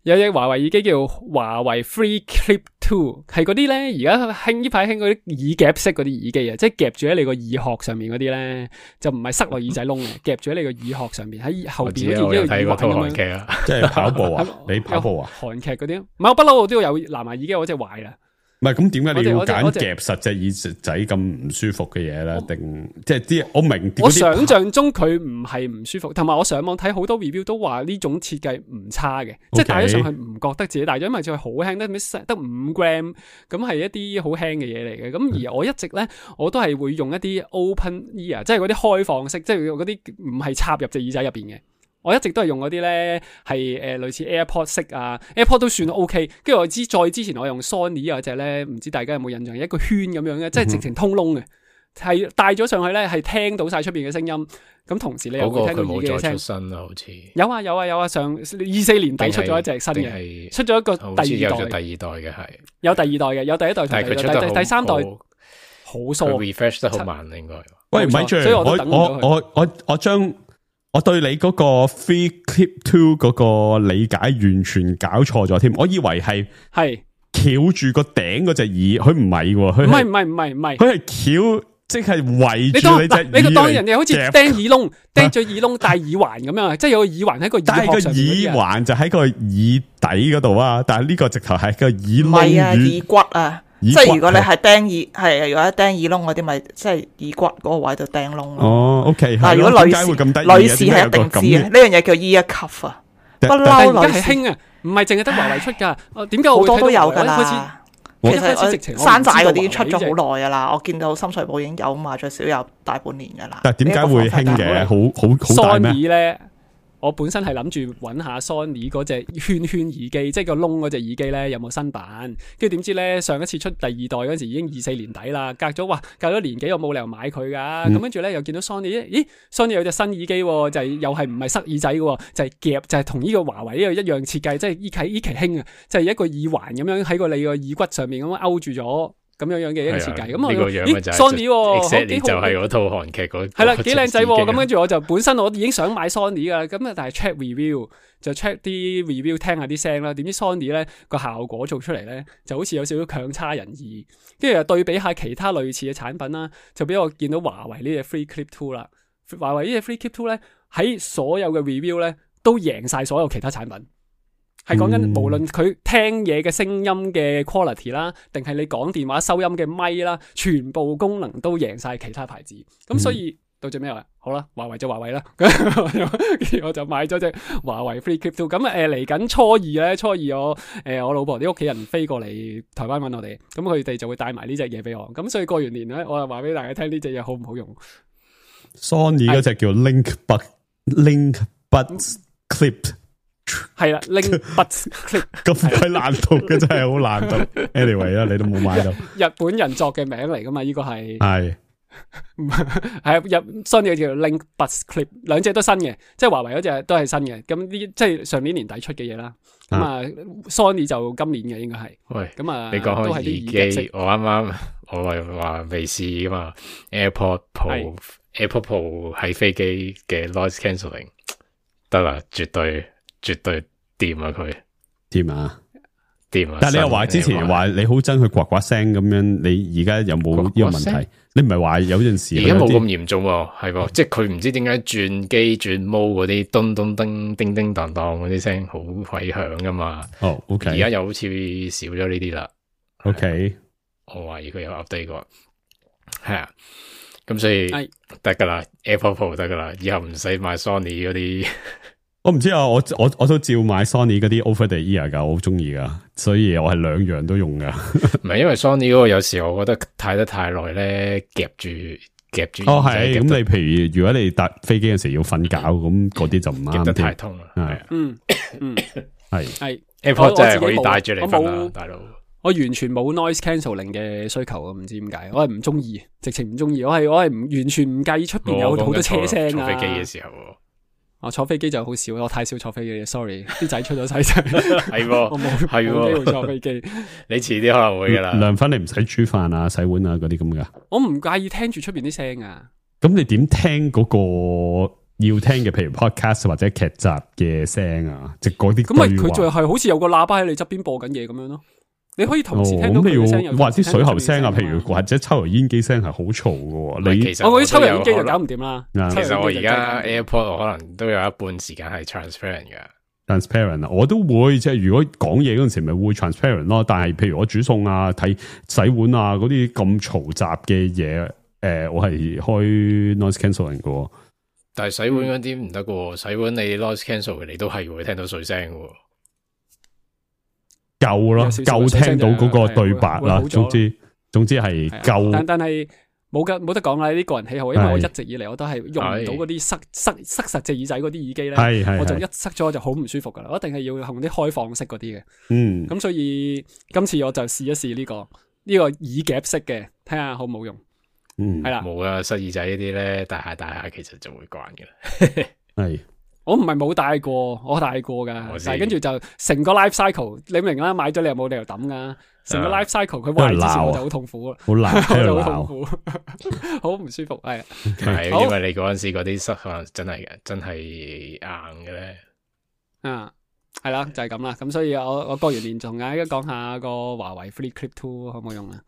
有隻華為耳機叫華為 Free Clip 2，係嗰啲咧，而家呢排興嗰啲耳夾式嗰啲耳機啊，即係夾住喺你個耳殼上面嗰啲咧，就唔係塞落耳仔窿嘅，夾住喺你個耳殼上面，喺後邊好似一個耳環咁樣。即係跑步啊？你跑步啊？韓劇嗰啲，唔係我不嬲，我都有藍牙耳機，我隻壞啦。唔係咁，點解你要揀夾實隻耳仔咁唔舒服嘅嘢咧？定即係啲我明，我想象中佢唔係唔舒服，同埋我上網睇好多 review 都話呢種設計唔差嘅，即係戴咗上去唔覺得自己戴咗，因為就係好輕，得5 gram，咁係一啲好輕嘅嘢嚟嘅。咁而我一直咧，我都係會用一啲 open ear，即係嗰啲開放式，即係嗰啲唔係插入隻耳仔入邊嘅。我一直都係用嗰啲咧，係類似 AirPod 式啊 ，AirPod 都算 OK。跟住我再之前我用 Sony 嗰隻咧，唔知大家有冇印象？一個圈咁樣嘅，即係直情通窿嘅，係戴咗上去咧，係聽到晒出邊嘅聲音。咁同時你又會聽到耳機嘅聲。出新啦，好似有啊，上24年底出咗一隻新嘅，出咗一個第二代。有第二代嘅係。有第二代嘅，有第一代同第三代好疏。佢 refresh 得好慢應該。喂，咪住，我對你嗰個 Free Clip 2嗰個理解完全搞錯咗添，我以為係翹住個頂嗰隻耳，佢唔係喎，佢唔係，佢係翹，即係圍住你隻耳。你就當人哋好似釘耳窿，釘咗耳窿戴耳環咁樣，即係有個耳環喺個耳殼上面。但係個耳環就喺個耳底嗰度啊，但係呢個直頭係個耳窿。唔係啊，耳骨啊。即係如果你係釘耳，如果釘耳窿嗰啲，咪即係耳骨嗰個位度釘窿咯。哦 ，OK。但係如果女士係一定知嘅，呢樣嘢叫 ear cuff 啊，不嬲女士係興啊，唔係淨係得華為出噶。點解好多都有噶啦？其實山寨嗰啲出咗好耐噶啦，我見到深水埗已經有賣咗少有大半年噶啦。但係點解會興嘅？好大咩？咧，我本身係諗住揾下 Sony 嗰隻圈耳機，即係個窿嗰隻耳機咧有冇新版？跟住點知咧上一次出第二代嗰陣時已經24年底啦，隔咗年幾，我冇理由買佢噶。咁跟住咧又見到 Sony， 咦 Sony 有隻新耳機，就係又係唔係塞耳仔嘅，就係夾，就係同呢個華為呢個一樣設計，即係依期興啊，就係一個耳環咁樣喺你個耳骨上面咁樣勾住咗。咁樣嘅一個設計，咁呢個樣嘅就係 Sony 就係嗰套韓劇嗰係啦，幾靚仔咁。跟住我就本身我已經想買 Sony 噶，咁但係 check review 就 check 啲 review 聽下啲聲啦。點知 Sony 咧個效果做出嚟咧就好似有少少強差人意，跟住又對比下其他類似嘅產品啦，就俾我見到華為呢隻 Free Clip 2啦。華為呢隻 Free Clip 2咧喺所有嘅 review 咧都贏晒所有其他產品。係講緊無論佢聽嘢嘅聲音嘅 quality 啦，定係你講電話收音嘅咪啦，全部功能都贏晒其他牌子。咁所以到最尾話好啦，華為就華為啦。我就買咗隻華為 Free Clip 2。咁嚟緊初二我老婆啲屋企人飛過嚟台灣揾我哋，咁佢哋就會帶埋呢隻嘢俾我。咁所以過完年咧，我就話俾大家聽呢隻嘢好唔好用。Sony 嗰隻叫 Link Buds Clip。係啦 ，Link Buds Clip 咁鬼難讀嘅，真係好難讀。Anyway 啦，你都冇買到。日本人作嘅名嚟噶嘛？呢個係係 Sony 叫 Link Buds Clip， 兩隻都新嘅，即係華為嗰隻都係新嘅。咁呢即係上年年底出嘅嘢啦。咁啊 Sony 就今年嘅應該係。喂，咁啊，你講開耳機，我啱啱我係話未試噶嘛 ？AirPod Pro 喺飛機嘅 noise cancelling 得啦，絕對掂啊！佢掂啊，掂啊！但係你又話之前話你好憎佢呱呱聲咁樣，你而家有冇呢個問題？你唔係話有陣時而家冇咁嚴重喎，係喎，即係佢唔知點解轉機轉毛嗰啲咚咚叮叮叮當當嗰啲聲好鬼響噶嘛？哦 ，OK， 而家又好似少咗呢啲啦。OK， 我懷疑佢有 update 過，係啊，咁所以得噶啦 ，AirPod Pro 得噶啦，以後唔使買 Sony 嗰啲。我唔知啊，我都照買 Sony 嗰啲 Over the Ear 噶，我好中意噶，所以我係兩樣都用噶。唔係因為 Sony 嗰個有時我覺得睇得太耐咧，夾住。哦係，咁你譬如如果你搭飛機嘅時候要瞓覺，咁嗰啲就唔啱。夾得太痛啦，係啊，係 AirPod 真係可以帶住嚟瞓啦，大佬。我完全冇 noise cancelling 嘅需求啊，唔知點解，我係唔中意，直情唔中意。我係完全唔介意出邊有好多車聲啊。坐飛機嘅時候。我坐飛機就好少，我太少坐飛機 ，sorry， 啲仔出咗世仔，係我冇機會坐飛機。你遲啲可能會噶啦。涼粉你唔使煮飯啊、洗碗啊嗰啲咁噶。我唔介意聽住出邊啲聲啊。咁你點聽嗰個要聽嘅，譬如 podcast 或者劇集嘅聲啊，即係嗰啲。咁咪佢就係好似有個喇叭喺你側邊播緊嘢咁樣咯。你可以同時聽到佢嘅聲，或者水喉聲啊，譬如或者抽油煙機聲係好嘈嘅。你我嗰啲抽油煙機就搞唔掂啦。其實我而家 AirPod 我可能都有一半時間係 transparent 嘅。transparent 啊，我都會即係如果講嘢嗰陣時咪會 transparent 咯。但係譬如我煮餸啊、睇洗碗啊嗰啲咁嘈雜嘅嘢，我係開 noise cancelling 嘅。但係洗碗嗰啲唔得嘅，洗碗你 noise cancel 你都係會聽到水聲嘅。夠咯，夠聽到嗰個對白啦。總之係夠。但係冇得講啦，呢個人喜好，因為我一直以嚟我都係用唔到嗰啲塞實隻耳仔嗰啲耳機咧，我就一塞咗就好唔舒服噶啦，我一定係要用啲開放式嗰啲嘅。咁所以今次我就試一試呢個耳夾式嘅，睇下好唔好用。係啦，冇啊，塞耳仔呢啲咧，大下其實就會慣嘅啦。係。我唔係冇戴過，我戴過噶，但係跟住就成個 life cycle，你明啦，買咗你又冇理由抌噶，成個 life cycle 佢壞之前我就好痛苦，好難，好痛苦，好唔舒服，係因為你嗰陣時嗰啲塞可能真係硬嘅咧，係啦，就係咁啦，咁所以我過完年仲而家講下個華為 Free Clip 2可唔可以用啊？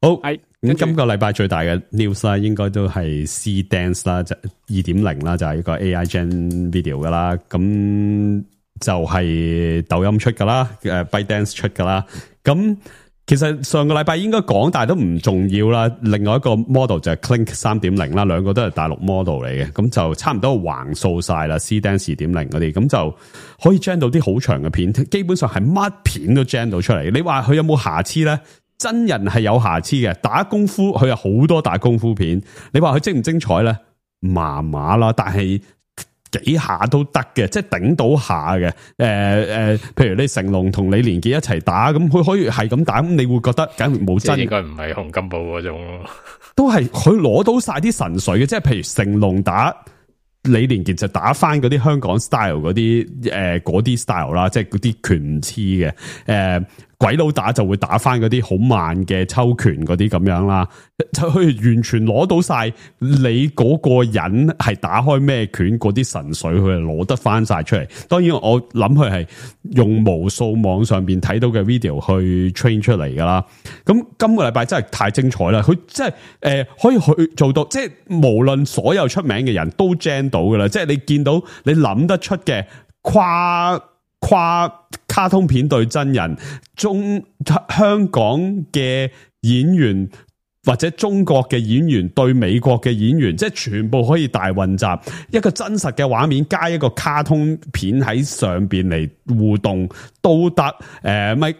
好，係咁今個禮拜最大嘅 news 啦，應該都係 C Dance 啦，就 2.0 啦，就係一個 AI Gen Video 噶啦，咁就係抖音出噶啦，ByteDance 出噶啦，咁其實上個禮拜應該講，但係都唔重要啦。另外一個 model 就係 Clink 3.0 啦，兩個都係大陸 model 嚟嘅，咁就差唔多橫掃晒啦。C-Dance 2.0 嗰啲，咁就可以 gen 到啲好長嘅片，基本上係乜片都 gen 到出嚟。你話佢有冇瑕疵咧？真人係有瑕疵嘅，打功夫佢有好多打功夫片。你話佢精唔精彩咧？麻麻啦，但係幾下都得嘅，即係頂到下嘅。譬如你成龍同李連杰一齊打，咁佢可以係咁打，咁你會覺得梗係冇真。應該唔係洪金寶嗰種咯，都係佢攞到晒啲神髓嘅，即係譬如成龍打李連杰就打翻嗰啲香港 style 嗰啲 style 啦，即係嗰啲拳唔黐嘅。鬼佬打就會打翻嗰啲好慢嘅抽拳嗰啲咁樣啦，就佢完全攞到晒你嗰個人係打開咩拳嗰啲神髓，佢係攞得翻晒出嚟。當然我諗佢係用無數網上邊睇到嘅 video 去 train 出嚟噶啦。咁今個禮拜真係太精彩啦！佢真係可以去做到，即係無論所有出名嘅人都 gen 到噶啦。即係你見到你諗得出嘅跨卡通片對真人，香港嘅演員或者中國嘅演員對美國嘅演員，即係全部可以大混雜，一個真實嘅畫面加一個卡通片喺上邊嚟互動都得。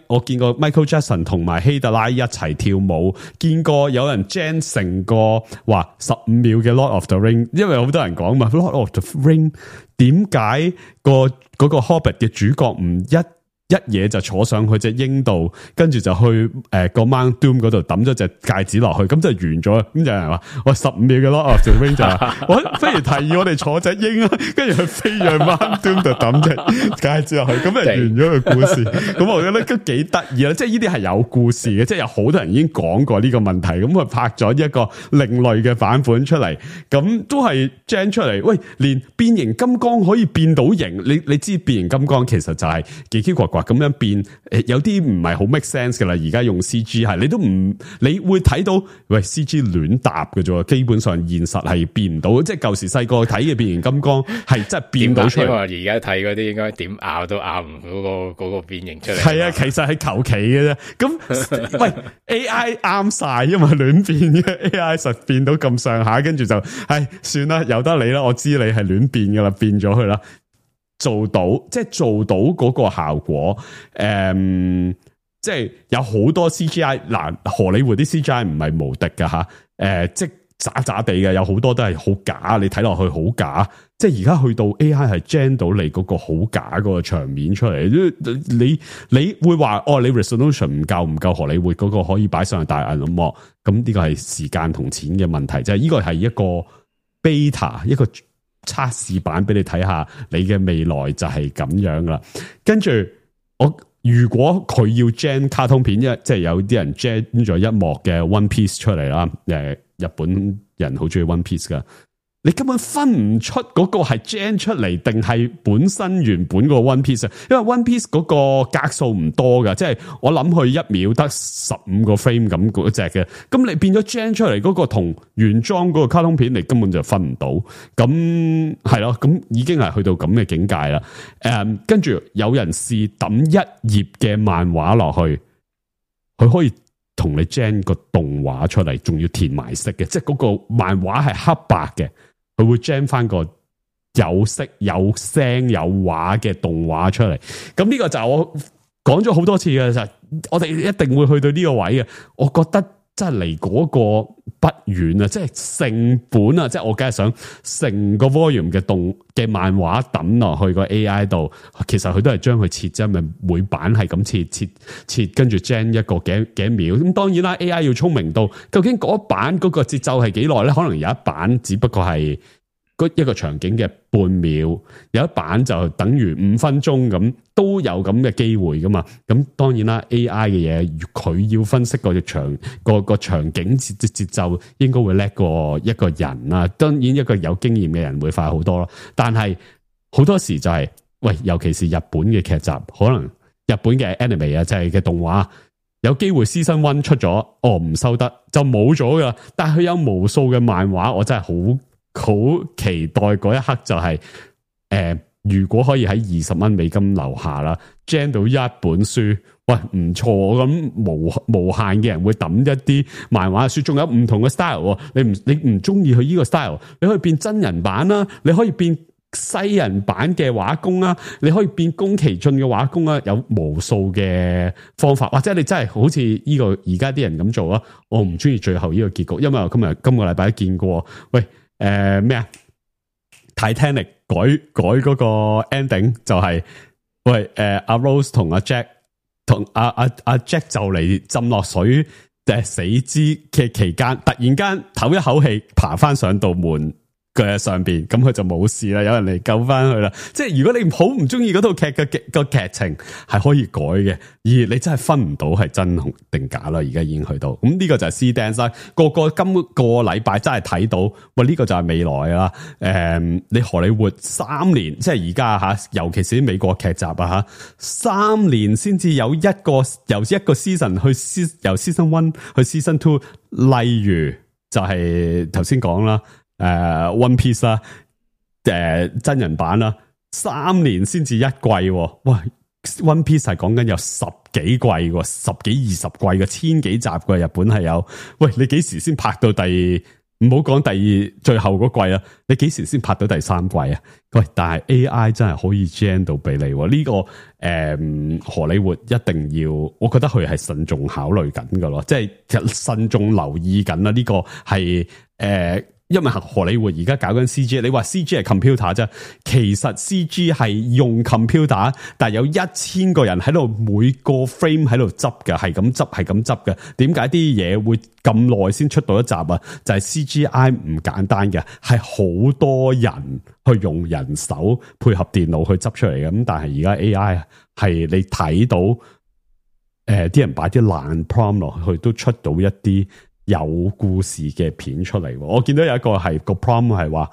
我見過 Michael Jackson 同埋希特拉一齊跳舞，見過有人 gen 成個話15秒嘅 Lord of the Ring， 因為好多人講嘛 Lord of the Ring 點解嗰個 Hobbit 嘅主角唔一嘢就坐上去隻鷹度，跟住就去個 Mount Doom 嗰度抌咗隻戒指落去，咁就完咗。咁就有人話我15秒嘅 Lord of the Ring 就話我不如提議我哋坐隻鷹啊，跟住佢飛上 Mount Doom 度抌隻戒指落去，咁就完咗個故事。咁我覺得都幾得意啦，即係呢啲係有故事嘅，即係有好多人已經講過呢個問題，咁佢拍咗一個另類嘅版本出嚟，咁都係 gen 出嚟。喂，連變形金剛可以變到形，你知變形金剛其實就係奇奇怪怪咁樣變，有啲唔係好 make sense 噶啦。而家用 CG 係，你都唔，你會睇到喂 CG 亂搭嘅啫，基本上現實係變唔到。即係舊時細個睇嘅變形金剛係真係變到出嚟。而家睇嗰啲應該點拗都拗唔到嗰個變形出嚟。係啊，其實係求其嘅啫。咁喂 AI 啱晒，因為亂變嘅 AI 實變到咁上下，跟住就算啦，由得你啦，我知你係亂變噶啦，變咗佢啦。做到嗰個效果，即係有好多 CGI 嗱，荷里活啲 CGI 唔係無敵噶吓，即係渣渣地嘅，有好多都係好假，你睇落去好假。即係而家去到 AI 係 gen 到你嗰個好假嗰個場面出嚟，你會話哦，你 resolution 唔夠荷里活嗰個可以擺上去大銀幕，咁呢個係時間同錢嘅問題，即係呢個係一個 beta 一個測試版俾你睇下，你嘅未來就係咁樣啦。跟住如果佢要 gen 卡通片，即係有啲人 gen 咗一幕嘅 One Piece 出嚟啦，日本人好中意 One Piece 噶。你根本分唔出嗰個係 gen 出嚟定係本身原本個 One Piece， 因為 One Piece 嗰個格數唔多噶，即係我諗佢1秒得15個 frame 咁嗰隻嘅，咁你變咗 gen 出嚟嗰個同原裝嗰個卡通片，你根本就分唔到，咁係咯，咁已經係去到咁嘅境界啦。跟住有人試抌一頁嘅漫畫落去，佢可以同你 gen 個動畫出嚟，仲要填埋色嘅，即係嗰個漫畫係黑白嘅。佢會 gen 翻個有色有聲有畫嘅動畫出嚟，咁呢個就我講咗好多次嘅，就我哋一定會去到呢個位嘅。我覺得真係離嗰個不遠啊，即係成本啊，即係我梗係想成個 volume 嘅漫畫抌落去個 AI 度，其實佢都係將佢切啫，咪每版係咁切，跟住 gen 一個幾秒。咁當然啦 ，AI 要聰明到究竟嗰版嗰個節奏係幾耐咧？可能有一版只不過係一個場景嘅半秒，有一版就等於5分鐘咁，都有咁嘅機會噶嘛。咁當然啦 ，AI 嘅嘢佢要分析個場景節奏，應該會叻過一個人啊。當然一個有經驗嘅人會快好多咯。但係好多時就係，喂，尤其是日本嘅劇集，可能日本嘅 anime 啊，即係嘅動畫，有機會 season 1出咗，唔收得就冇咗噶。但係佢有無數嘅漫畫，我真係好期待嗰一刻就係如果可以喺$20樓下啦 ，gen 到一本書，喂唔錯，咁無限嘅人會抌一啲漫畫書，仲有唔同嘅 style， 你唔中意佢呢個 style， 你可以變真人版啦，你可以變西人版嘅畫工啊，你可以變宮崎駿嘅畫工啊，有無數嘅方法，或者你真係好似呢個而家啲人咁做啊，我唔中意最後呢個結局，因為我今個禮拜都見過，喂咩啊 Titanic 改嗰個 ending 就係、喂阿 Rose 同阿 Jack 同阿 Jack 就嚟浸落水死之嘅期間，突然間唞一口氣爬翻上道門嘅上邊，咁佢就冇事啦，有人嚟救翻佢啦。即係如果你好唔中意嗰套劇嘅個劇情係可以改嘅，而你真係分唔到係真定假啦。而家已經去到咁呢個就係 Seedance 啦。今個禮拜真係睇到，喂呢個就係未來啦。你荷里活3年，即係而家吓，尤其是啲美國劇集啊吓，3年先至有一個由一個 season 由 season 1去 season 2，例如就係頭先講啦。One Piece 啦，真人版啦，3年先至一季，喂 One Piece 係講緊有10幾季喎，10幾20季嘅1000幾集嘅，日本係有，喂你幾時先拍到唔好講最後嗰季啊，你幾時先拍到第3季啊？喂，但係 AI 真係可以 gen 到俾你，呢個荷里活一定要，我覺得佢係慎重考慮緊噶咯，即係其實慎重留意緊啦，呢個係因為荷里活而家搞緊 CG， 你話 CG 係 computer 啫，其實 CG 係用 computer， 但係有1000個人喺度每個 frame 喺度執嘅，係咁執嘅。點解啲嘢會咁耐先出到一集啊？就係 CGI 唔簡單嘅，係好多人去用人手配合電腦去執出嚟嘅。咁但係而家 AI 係你睇到，啲人擺啲爛 prompt 落去都出到一啲有故事嘅片出嚟，我見到有一個係個 prompt 係話，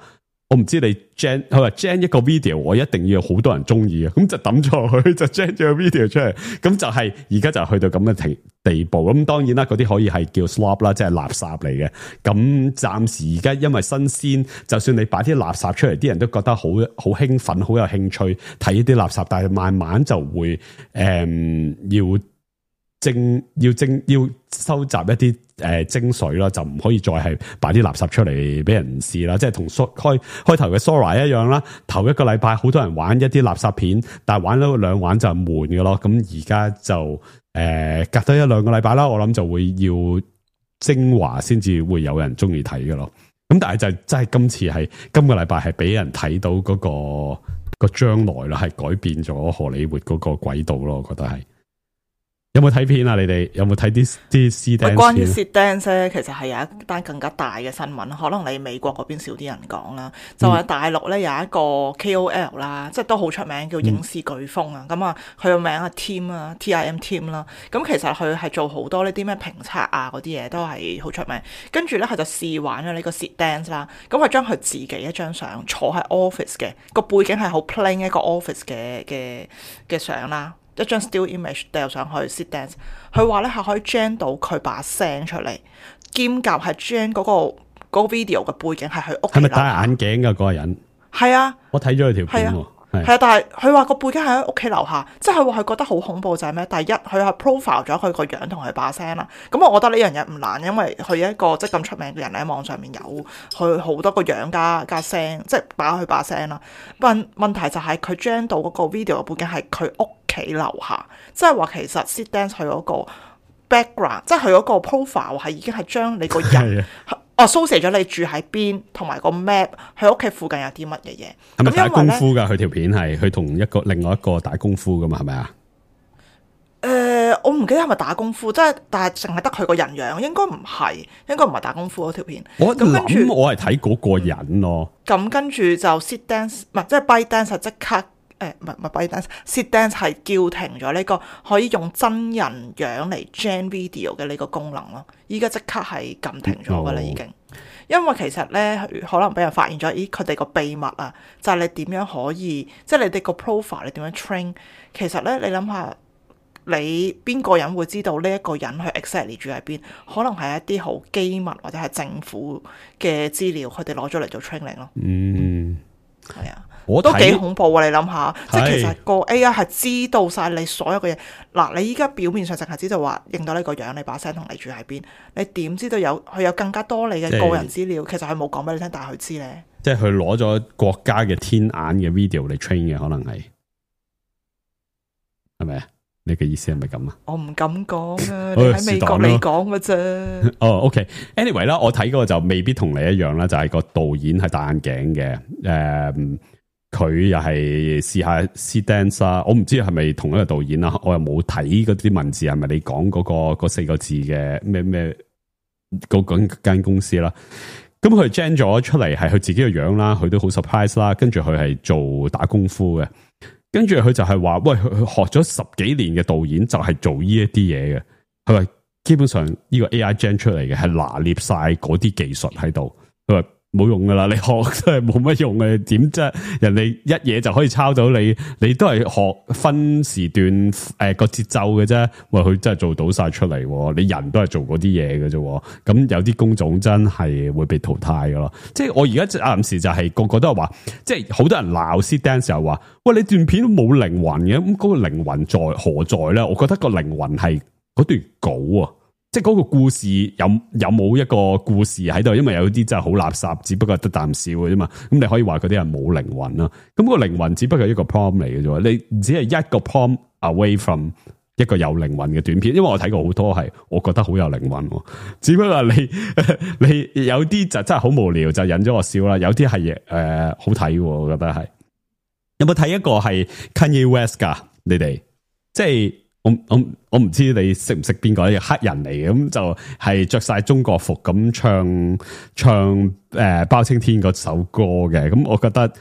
我唔知你 gen， 佢話 gen 一個 video， 我一定要有好多人中意嘅，咁就抌咗佢，就 gen 咗個 video 出嚟，咁就係而家就去到咁嘅地步。咁當然啦，嗰啲可以係叫 slop 啦，即係垃圾嚟嘅。咁暫時而家因為新鮮，就算你擺啲垃圾出嚟，啲人都覺得好興奮，好有興趣睇呢啲垃圾，但係慢慢就會要收集一啲精髓啦，就唔可以再係擺啲垃圾出嚟俾人試啦。即係同開頭嘅 Sora 一樣啦，頭一個禮拜好多人玩一啲垃圾片，但係玩咗兩玩就悶嘅咯。咁而家就隔多1-2個禮拜啦，我諗就會要精華先至會有人中意睇嘅咯。咁但係就真係今次係今個禮拜係俾人睇到嗰個將來啦，係改變咗荷里活嗰個軌道咯，我覺得係。有冇睇片啊？你哋有冇睇啲 Seedance 關於 Seedance 咧，其實係有一單更加大嘅新聞，可能你美國嗰邊少啲人講啦。就係大陸咧有一個 KOL 啦，即係都好出名，叫影視颶風啊。咁啊，佢個名係 Tim 啊 ，TIM Tim 啦。咁其實佢係做好多呢啲咩評測啊嗰啲嘢都係好出名。跟住咧佢就試玩咗呢個 Seedance 啦。咁佢將佢自己一張相坐喺 office 嘅個背景係好 plain 一個 office 嘅相啦。一張 still image 掉上去 Seedance， 佢話咧係可以 gen 到佢把聲出嚟，兼夾係 gen 嗰個 video 嘅背景係佢屋企。係咪戴眼鏡嘅嗰個人？係啊，我睇咗佢條片喎。係啊，但係佢話個背景係喺屋企樓下，即係佢話佢覺得好恐怖就係咩？第一，佢係 profile 咗佢個樣同佢把聲啦。咁我覺得呢樣嘢唔難，因為佢一個即係咁出名嘅人喺網上面有佢好多個樣加聲，即係擺佢把聲啦。問題就係佢 gen 到嗰個 video 嘅背景係佢屋企樓下，即係話其實 Seedance 佢嗰個 background， 即係佢嗰個 profile 係已經係將你個人蘇寫咗你住喺邊，同埋個 map， 佢屋企附近有啲乜嘢嘢。係咪打功夫㗎？佢條片係佢同另外一個打功夫㗎嘛？係咪啊？我唔記得係咪打功夫，即係但係淨係得佢個人樣，應該唔係打功夫嗰條片。我諗我係睇嗰個人咯。咁跟住就 Seedance， 唔係即係 ByteDance 即刻。唔係 ByteDance，Seedance 係叫停咗呢個可以用真人樣嚟 gen video 嘅呢個功能咯。依家即刻係撳停咗噶啦，已經。因為其實咧，可能俾人發現咗，佢哋個秘密啊，就係你點樣可以，即係你哋個 profile 你點樣 train。其實咧，你諗下，你邊個人會知道呢一個人去 exactly 住喺邊？可能係一啲好機密或者係政府嘅資料，佢哋攞咗嚟做 training 咯。係啊。都幾恐怖啊！你諗下，即係其實個 AI 係知道晒你所有嘅嘢。嗱，你依家表面上淨係知道話認到你個樣、你把聲同你住喺邊，你點知道佢有更加多你嘅個人資料？其實佢冇講俾你聽，但係佢知咧。即係佢攞咗國家嘅天眼嘅 video 嚟 train 嘅，可能係咪啊？你嘅意思係咪咁啊？我唔敢講啊，你喺美國嚟講嘅啫。哦，OK，anyway 啦，我睇嗰個就未必同你一樣啦，就係個導演係戴眼鏡嘅，佢又係試下 Seedance 啦，我唔知係咪同一個導演啦，我又冇睇嗰啲文字係咪你講嗰4個字嘅咩嗰間公司啦。咁佢 gen 咗出嚟係佢自己嘅樣啦，佢都好 surprise 啦，跟住佢係做打功夫嘅。跟住佢就係話，喂，佢學咗10幾年嘅導演就係做呢一啲嘢嘅。佢話基本上呢個 AI gen 出嚟嘅係拿捏晒嗰啲技術喺度。佢話冇用噶啦，你學都係冇乜用嘅。點啫？人哋一嘢就可以抄到你，你都係學分時段個節奏嘅啫。喂，佢真係做到晒出嚟，你人都係做嗰啲嘢嘅啫。咁有啲工種真係會被淘汰噶咯。即係我而家暫時就係個個都係話，即係好多人鬧 Seedance 又話，喂，你段片都冇靈魂嘅，咁嗰個靈魂在何在咧？我覺得個靈魂係嗰段稿啊。即係嗰個故事有冇一個故事喺度？因為有啲真係好垃圾，只不過得啖笑嘅啫嘛。咁你可以話嗰啲人冇靈魂啦。咁個靈魂只不過係一個 prompt 嚟嘅啫。你只係一個 prompt away from 一個有靈魂嘅短片。因為我睇過好多係，我覺得好有靈魂。只不過你有啲就真係好無聊，就引咗我笑啦。有啲係好睇，我覺得係。有冇睇一個係 Kanye West 噶？你哋即係。我唔知你識唔識邊個，係黑人嚟嘅，咁就係着晒中國服咁唱包青天嗰首歌嘅，咁我覺得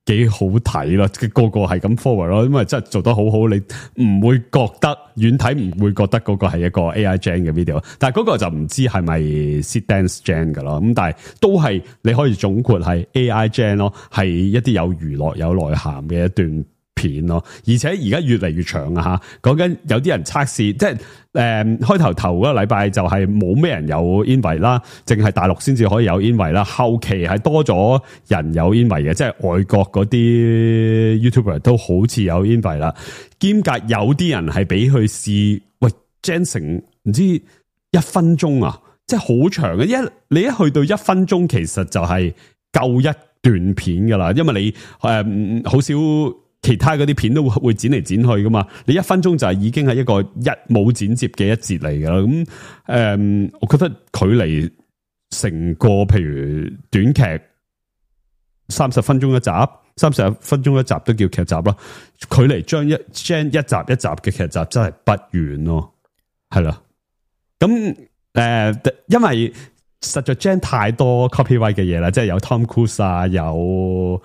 幾好睇咯，個個係咁 forward 咯，因為真係做得好好，你唔會覺得遠睇唔會覺得嗰個係一個 AI gen 嘅 video， 但係嗰個就唔知係咪 Seedance gen 噶咯，咁但係都係你可以總括係 AI gen 咯，係一啲有娛樂有內涵嘅一段片咯，而且而家越嚟越長啊吓，講緊有啲人測試，即係開頭嗰個禮拜就係冇咩人有 invite 啦，淨係大陸先至可以有 invite 啦，後期係多咗人有 invite 嘅，即係外國嗰啲 YouTuber 都好似有 invite 啦，兼夾有啲人係俾佢試，喂 gen 成唔知1分鐘啊，即係好長嘅，你一去到1分鐘，其實就係夠一段片噶啦，因為你好少。其他嗰啲片都會剪嚟剪去噶嘛，你1分鐘就係已經係一個冇剪接嘅一節嚟噶啦。咁我覺得距離成個譬如短劇30分鐘一集，30分鐘一集都叫劇集啦。距離將一集一集嘅劇集真係不遠咯，係啦。咁因為實在 gen 太多 copyright 嘅嘢啦，即係有 Tom Cruise 啊，有。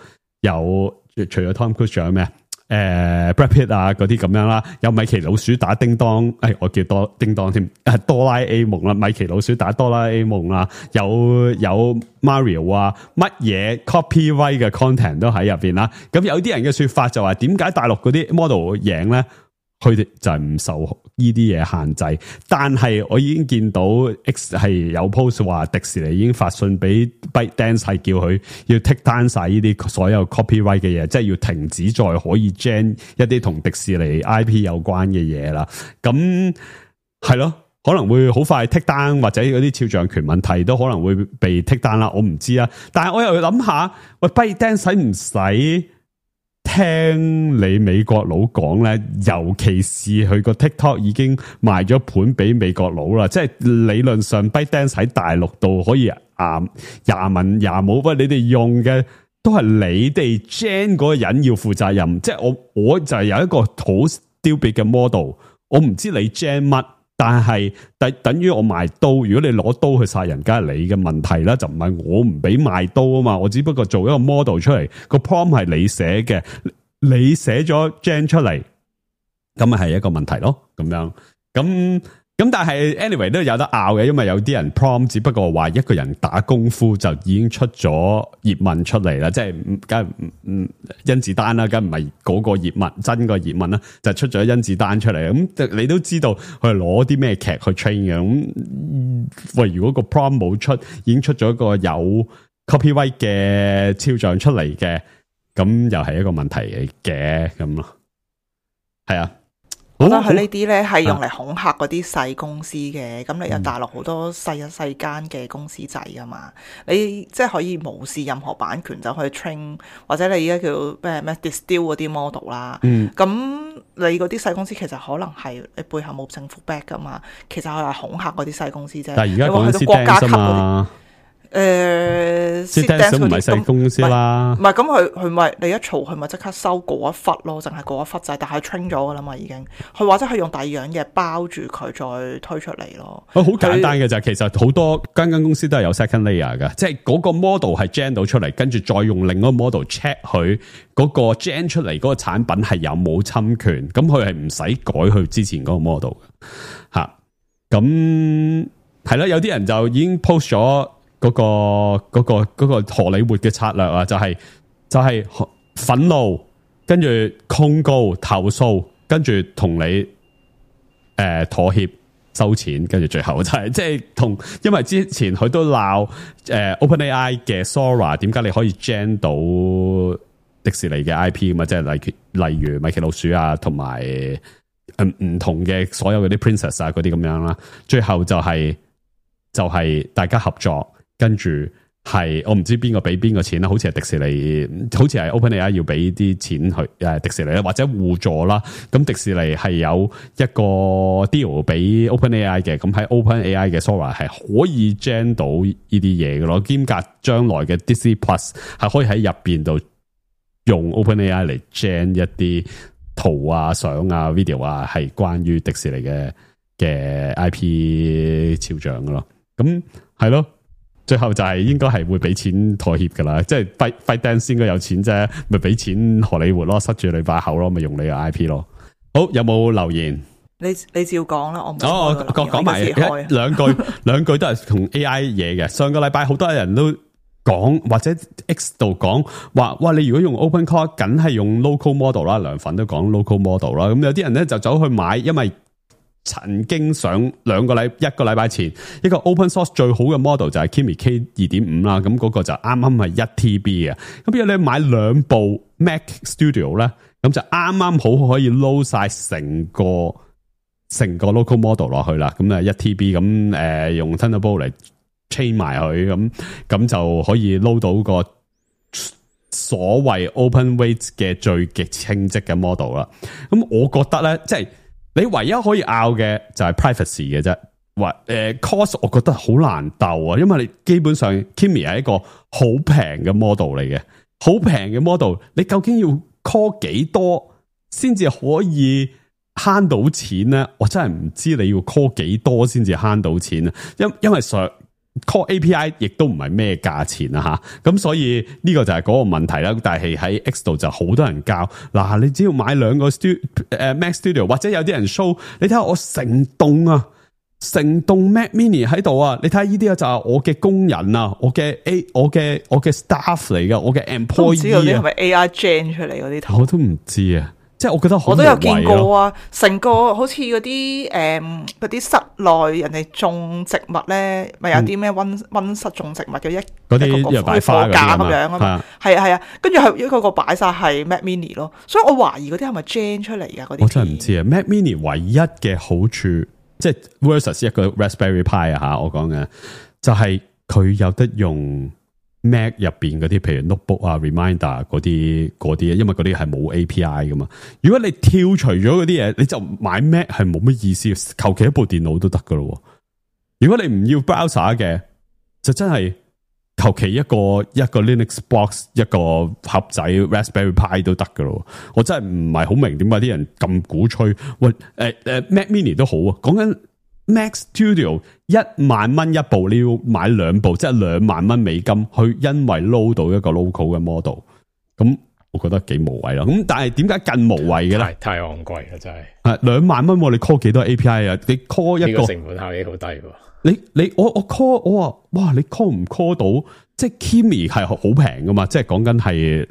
除咗 Tom Cruise 仲有咩Brad Pitt 啊嗰啲咁樣啦，有米奇老鼠打叮當，我叫叮當添，哆啦 A 夢啦，米奇老鼠打哆啦 A 夢啦，有 Mario 啊，乜嘢 copyright 嘅 content 都喺入邊啦。咁有啲人嘅說法就話，點解大陸嗰啲 model 贏咧？佢哋就係唔受呢啲嘢限制，但係我已經見到 X 係有 post 話迪士尼已經發信俾 ByteDance 係叫佢要 take down 晒呢啲所有 copyright 嘅嘢，即係要停止再可以 gen 一啲同迪士尼 IP 有關嘅嘢啦。咁係咯，可能會好快 take down，或者嗰啲肖像權問題都可能會被 take down 啦。我唔知啊，但係我又諗下，喂 ByteDance 使唔使聽你美國佬講咧，尤其是佢個 TikTok 已經賣咗盤俾美國佬啦，即係理論上 ByteDance 喺大陸度可以廿文廿武，喂，你哋用嘅都係你哋 gen 嗰個人要負責任，即係我就係有一個好 stupid 嘅 model， 我唔知你 gen 乜。但係等於我賣刀，如果你攞刀去殺人，梗係你嘅問題啦，就唔係我唔俾賣刀啊嘛。我只不過做一個 model 出嚟，個 prompt 係你寫嘅，你寫咗 gen 出嚟，咁咪係一個問題咯。咁樣咁但係 anyway 都有得拗嘅，因為有啲人 prompt 只不過話一個人打功夫就已經出咗葉問出嚟啦，即係梗係甄子丹啦，梗唔係嗰個葉問真個葉問啦，就出咗甄子丹出嚟。咁你都知道佢係攞啲咩劇去 train 嘅。咁喂，如果個 prompt 冇出，已經出咗一個有 copyright 嘅肖像出嚟嘅，咁又係一個問題嚟嘅咁咯。係啊。我覺得佢呢啲咧係用嚟恐嚇嗰啲細公司嘅，咁你有大陸好多細間嘅公司仔噶嘛，你即係可以無視任何版權就去 train， 或者你而家叫咩 distill 嗰啲 model 啦，咁你嗰啲細公司其實可能係你背後冇政府 back 噶嘛，其實佢係恐嚇嗰啲細公司啫。但係而家講緊國家級嘛。Dance 唔係細公司啦，唔係咁佢咪你一嘈佢咪即刻收嗰一忽咯，淨係嗰一忽仔，但係 train 咗噶啦嘛已經，佢或者係用第二樣嘢包住佢再推出嚟咯。好簡單嘅就係其實好多間公司都係有 second layer 嘅，即係嗰個 model 係 gen 到出嚟，跟住再用另一個 model check 佢嗰個 gen 出嚟嗰個產品係有冇侵權，咁佢係唔使改佢之前嗰個 model 嘅吓。咁係啦，有啲人就已經 post 咗。嗰個荷里活嘅策略啊，就係憤怒，跟住控告、投訴，跟住同你妥協收錢，跟住最後就係即係因為之前佢都鬧OpenAI 嘅 Sora， 點解你可以 gen 到迪士尼嘅 IP 咁啊？即係例如米奇老鼠啊，同埋唔同嘅所有嗰啲 Princess 啊嗰啲咁樣啦，最後就係大家合作。跟住係我唔知邊個俾邊個錢啦，好似係迪士尼，好似係 OpenAI 要俾啲錢去迪士尼啦，或者互助啦。咁迪士尼係有一個 deal 俾 OpenAI 嘅，咁喺 OpenAI 嘅 Sora 係可以 gen 到呢啲嘢嘅咯。兼夾將來嘅 Disney Plus 係可以喺入邊度用 OpenAI 嚟 gen 一啲圖啊、相啊、video 啊，係關於迪士尼嘅 IP 肖像嘅咯。咁係咯。最後就係應該係會俾錢妥協噶啦，即係 ByteDance 應該有錢啫，咪俾錢荷里活咯，塞住你把口咯，咪用你個 IP 咯。好，有冇留言？你照講啦，我講埋兩句都係同 AI 嘢嘅。上個禮拜好多人都講或者 X 度講話，哇！你如果用 OpenClaw， 梗係用 local model 啦，涼粉都講 local model 啦。咁有啲人咧就走去買，因為曾經上一個禮拜前一個 open source 最好嘅 model 就係 Kimi K 2.5 啦，咁嗰個就啱啱係1 TB 嘅。咁如果你買兩部 Mac Studio 咧，咁就啱啱好可以 load 晒成個 local model 落去啦。咁啊1 TB 咁用 Thunderbolt 嚟 chain 埋佢，咁就可以 load 到個所謂 open weight 嘅最極清晰嘅 model 啦。咁我覺得咧，即係你唯一可以拗嘅就係 privacy 嘅啫，或cost 我覺得好難鬥啊，因為你基本上 Kimi 係一個好平嘅 model 嚟嘅，好平嘅 model， 你究竟要 call 幾多先至可以慳到錢咧？我真係唔知你要 call 幾多先至慳到錢啊！因為上 call API 亦都唔係咩價錢啊吓，咁所以呢個就係嗰個問題啦。但係喺 X 度就好多人教嗱，你只要買兩個Mac Studio， 或者有啲人 show， 你睇下我成棟 Mac Mini 喺度啊！你睇下呢啲就係我嘅工人啊，我嘅 staff 嚟噶，我嘅 employee 啊。唔知嗰啲係咪 AI gen 出嚟嗰啲圖？我都唔知啊。即係我覺得我都有見過啊，成個好似嗰啲室內人哋種植物咧，咪有啲咩溫室種植物嘅嗰啲擺花架咁樣啊嘛，係啊，跟住係一個擺晒係 Mac Mini 咯，所以我懷疑嗰啲係咪 gen 出嚟噶嗰啲？我真係唔知啊。Mac Mini 唯一嘅好處，即係 versus 一個 Raspberry Pi 啊吓，我講嘅就係佢有得用。Mac 入邊嗰啲，譬如 notebook 啊、reminder 嗰啲，因為嗰啲係冇 API 噶嘛。如果你跳除咗嗰啲嘢，你就買 Mac 係冇乜意思，求其一部電腦都得噶咯。如果你唔要 browser 嘅，就真係求其一個 Linux box 一個盒仔 Raspberry Pi 都得噶咯。我真係唔係好明點解啲人咁鼓吹。喂，Mac Mini 都好啊，講緊。Mac Studio 10,000蚊一部，你要買兩部，即係$20,000去，因為 load 到一個 local 嘅 model， 咁我覺得幾無謂啦。咁但係點解更無謂嘅咧？太昂貴啦，真係。係$20,000，你 call 幾多 API 啊？你 call 一個成本效益好低喎。我 call 我話哇，你 call 唔 call 到？即係 Kimi 係好平噶嘛？即係講緊係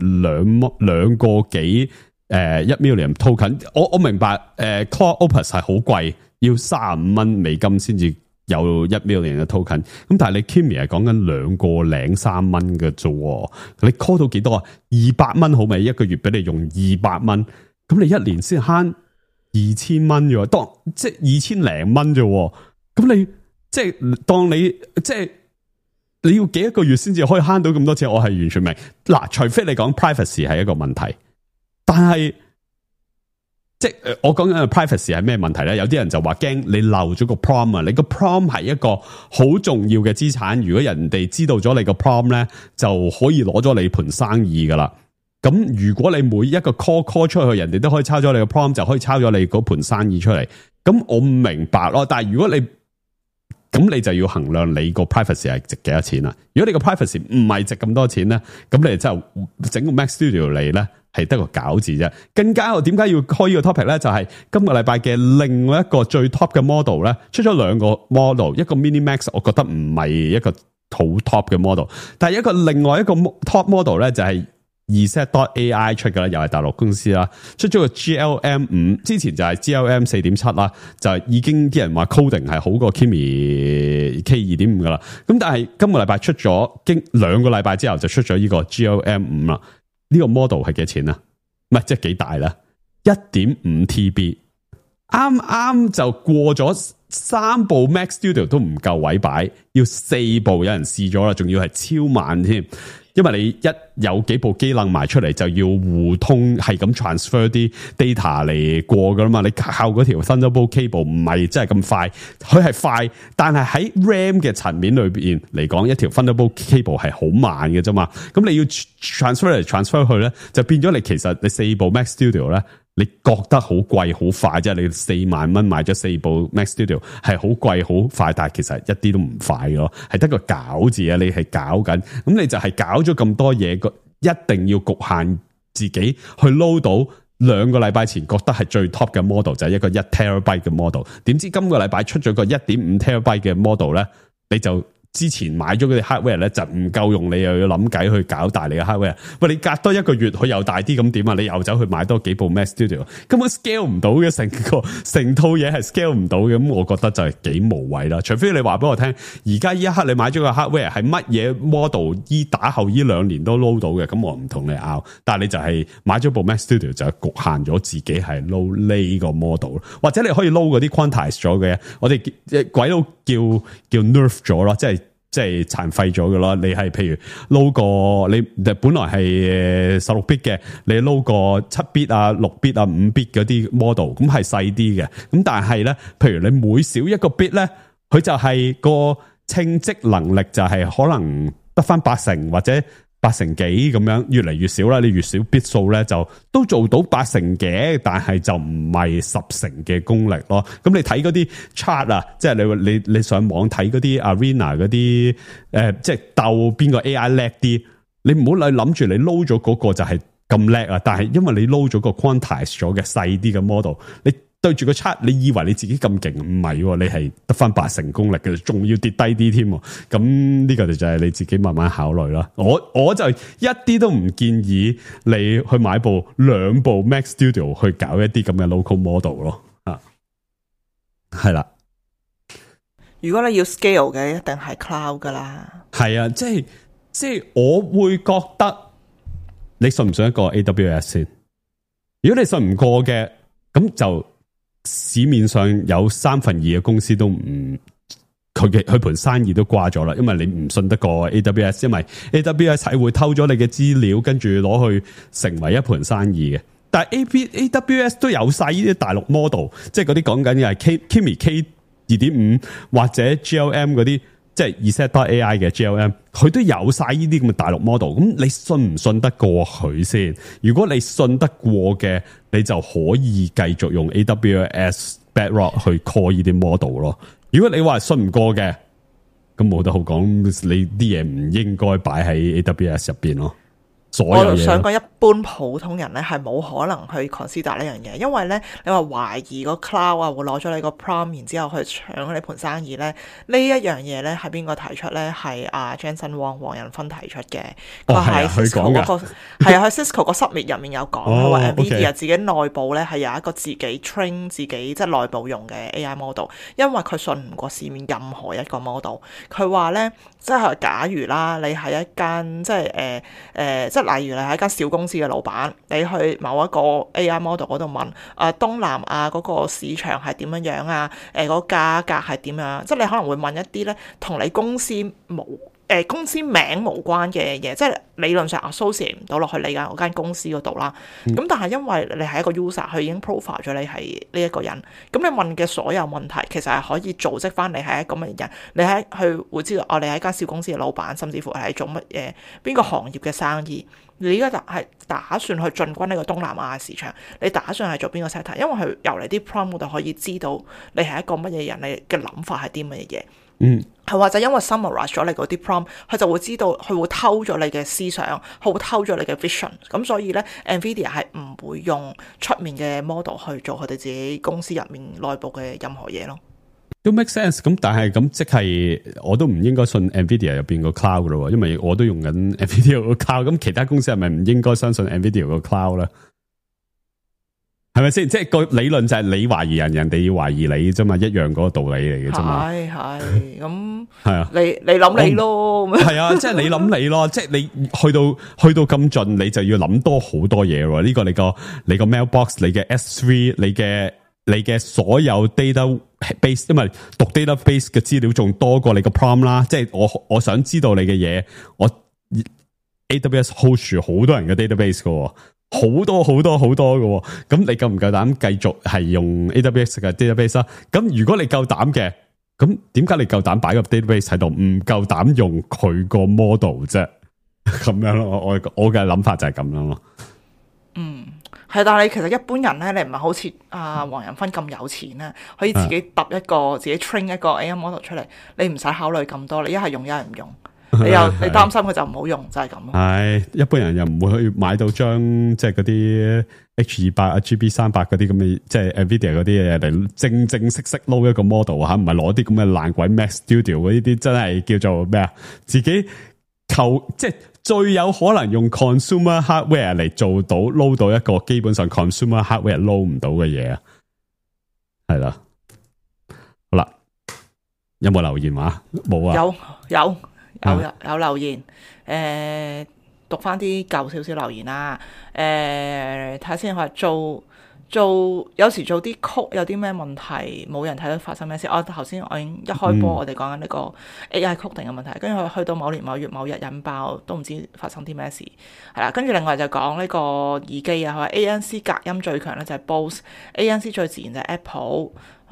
兩個幾1 million token。我明白Claude Opus 係好貴。要$35先至有1 million 嘅 token， 咁但係你 Kimi 係講緊2.03蚊嘅啫，你 call 到幾多啊？200蚊好未？一個月俾你用200蚊，咁你一年先慳2000蚊啫，當即係2000零蚊啫，咁你即係當你即係你要幾一個月先至可以慳到咁多錢？我係完全明。嗱，除非你講 privacy 係一個問題，但係。即係我講緊嘅 privacy 係咩問題咧？有啲人就話驚你漏咗個 prompt 啊！你個 prompt 係一個好重要嘅資產，如果人哋知道咗你個 prompt 咧，就可以攞咗你盤生意噶啦。咁如果你每一個 call 出去，人哋都可以抄咗你個 prompt， 就可以抄咗你嗰盤生意出嚟。咁我唔明白咯。但係如果你咁，你就要衡量你個 privacy 係值幾多錢啦。如果你個 privacy 唔係值咁多錢咧，咁你就整個 Mac Studio 嚟咧。係得個搞字啫，更加我點解要開呢個 topic 咧？就係今個禮拜嘅另外一個最 top 嘅 model 咧，出咗2個 model， 一個 Mini Max， 我覺得唔係一個好 top 嘅 model， 但係另外一個 top model 咧就係Reset.AI 出嘅啦，又係大陸公司啦，出咗個 GLM5， 之前就係 GLM4.7 啦，就係已經啲人話 coding 係好過 Kimi K2.5 噶啦，咁但係今個禮拜出咗，經2個禮拜之後就出咗呢個 GLM5 啦。呢個 model 係幾錢啊？唔係即係幾大啦 ？1.5 TB， 啱啱就過咗3部 Mac Studio 都唔夠位擺，要4部有人試咗啦，仲要係超慢添。因為你一有幾部機楞埋出嚟，就要互通，係咁 transfer 啲 data 嚟過噶啦嘛。你靠嗰條 Thunderbolt cable 唔係真係咁快，佢係快，但係喺 RAM 嘅層面裏邊嚟講，一條 Thunderbolt cable 係好慢嘅啫嘛。咁你要 transfer 嚟 transfer 去咧，就變咗你其實你4部 Mac Studio 咧，你覺得好貴好快，即係你4萬蚊買咗4部 Mac Studio 係好貴好快，但係其實一啲都唔快咯，係得個搞字啊！你係搞緊，咁你就係搞咗咁多嘢，一定要局限自己去 load 到2個禮拜前覺得係最 top 嘅 model， 就係一個1 terabyte 嘅 model。點知今個禮拜出咗個 1.5 terabyte 嘅 model 咧，你就之前買咗嗰啲 hardware 咧就唔夠用，你又要諗計去搞大你嘅 hardware。喂，你隔多1個月佢又大啲咁點啊？你又走去買多幾部 Mac Studio， 根本 scale 唔到嘅，成套嘢係 scale 唔到嘅。咁我覺得就係幾無謂啦。除非你話俾我聽，而家呢一刻你買咗個 hardware 係乜嘢 model， 打後呢2年都 load 到嘅，咁我唔同你拗。但係你就係買咗部 Mac Studio 就局限咗自己係 load 呢個 model， 或者你可以 load 嗰啲 quantize 咗嘅，我哋鬼佬叫 nerf 咗咯，即係殘廢咗嘅咯。你係譬如撈個你本來係16 bit 嘅，你撈個7 bit 啊、6 bit 啊、5 bit 嗰啲 model， 咁係細啲嘅。咁但係咧，譬如你每少一個 bit 咧，佢就係個稱積能力就係可能得翻80%或者80%幾咁樣，越嚟越少啦。你越少 bit 數咧，就都做到80%嘅，但係就唔係10% 嘅功力咯。咁你睇嗰啲 chart 啊，即係你上網睇嗰啲 arena 嗰啲即係鬥邊個 AI 叻啲，你唔好諗住你撈咗嗰個就係咁叻啊！但係因為你撈咗個 quantize 咗嘅細啲嘅 model， 你對住個 chart， 你以為你自己咁勁，唔係，你係得翻80%功力嘅，仲要跌低啲添。咁呢個就係你自己慢慢考慮啦。我就一啲都唔建議你去買2部 Mac Studio 去搞一啲咁嘅 local model 咯。啊，係啦。如果你要 scale 嘅，一定係 cloud 噶啦。係啊，即係我會覺得，你信唔信一個 AWS 先？如果你信唔過嘅，咁就市面上有2/3嘅公司都唔，佢盤生意都掛咗啦，因為你唔信得過 AWS， 因為 AWS 係會偷咗你嘅資料，跟住攞去成為一盤生意嘅。但係 AWS 都有晒呢啲大陸 model， 即係嗰啲講緊嘅係 Kimi K2.5 或者 GLM 嗰啲，即係 Reset.AI 嘅 GLM， 佢都有晒呢啲咁嘅大陸 model。咁你信唔信得過佢先？如果你信得過嘅，你就可以繼續用 AWS Bedrock 去 call 呢啲 model 咯。如果你話信唔過嘅，咁冇得好講，你啲嘢唔應該擺喺 AWS 入邊咯。我想講一般普通人咧係冇可能去 consider 呢樣嘢，因為咧你話懷疑個 cloud 啊會攞咗你個 prompt， 然之後去搶你盤生意咧，呢一樣嘢咧係邊個提出咧？係阿 Jensen Huang 黃仁勳提出嘅。佢喺 Cisco 嗰個係啊，喺 Cisco 個 summit 入面有講，佢話 Nvidia 自己內部咧係有一個自己 train 自己即係內部用嘅 AI model， 因為佢信唔過市面任何一個 model。佢話咧，即係假如啦，你係一間即係即係例如你係一間小公司嘅老闆，你去某一個 AI model 嗰度問東南亞嗰個市場係點樣樣啊？嗰個價格係點樣？即係你可能會問一啲咧同你公司公司名無關嘅嘢，即係理論上 associate 唔到落去你嗰間公司嗰度啦。咁但係因為你係一個 user，佢已經 profile 咗你係呢一個人，咁你問嘅所有問題其實係可以組織翻你係一個乜人，你係佢會知道你係一間小公司嘅老闆，甚至乎係做乜嘢邊個行業嘅生意。你而家係打算去進軍呢個東南亞市場，你打算係做邊個 sector？ 因為佢由你啲 prompt 就可以知道你係一個乜嘢人，你嘅諗法係啲乜嘢嘢。係或者因為 summarize 咗你嗰啲 prompt， 佢就會知道佢會偷咗你嘅思想，佢會偷咗你嘅 vision。咁所以咧 ，Nvidia 係唔會用出面嘅 model 去做佢哋自己公司入面內部嘅任何嘢咯。都 make sense。咁但係咁即係我都唔應該信 Nvidia 入邊個 cloud 咯，因為我都用緊 Nvidia 個 cloud。咁其他公司係咪唔應該相信 Nvidia 個 cloud 咧？係咪先？即係個理論就係你懷疑人，人哋要懷疑你啫嘛，一樣嗰個道理嚟嘅啫嘛。係咁係啊，你諗你咯，係啊，即係你諗你咯，即係你去到咁盡，你就要諗多好多嘢喎。呢個你個 mailbox， 你嘅 S3， 你嘅所有 database， 因為讀 database 嘅資料仲多過你個 prompt 啦。即係我想知道你嘅嘢，我 AWS hold 住好多人嘅 database 㗎。好多嘅，咁你夠唔夠膽繼續係用 AWS 嘅 database 啊？咁如果你夠膽嘅，咁點解你夠膽擺個 database 喺度，唔夠膽用佢個 model 啫？咁樣咯，我嘅諗法就係咁樣咯。係，但係你其實一般人咧，你唔係好似黃仁勳咁有錢咧，可以自己揼一個自己 train 一個 AI model 出嚟，你唔使考慮咁多，你一係用一係唔用。你擔心佢就唔好用，就係咁咯。係一般人又唔會去買到張即係嗰啲 H200 啊 GB300 嗰啲咁嘅，即係 Nvidia 嗰啲嘢嚟正式撈一個 model 吓，唔係攞啲咁嘅爛鬼 Mac Studio 嗰啲，真係叫做咩啊？自己即係最有可能用 consumer hardware 嚟做到撈到一個基本上 consumer hardware 撈唔到嘅嘢啊，係啦。好啦，有冇留言話？冇啊？有留言，讀翻啲舊少少留言啦。睇下先，佢話做有時做啲曲有啲咩問題，冇人睇到發生咩事。頭先我已經一開波，我哋講緊呢個 AI 曲定嘅問題，跟住佢去到某年某月某日引爆，都唔知發生啲咩事。係啦，跟住另外就講呢個耳機啊，佢話 ANC 隔音最強咧就係 Bose，ANC 最自然就係 Apple。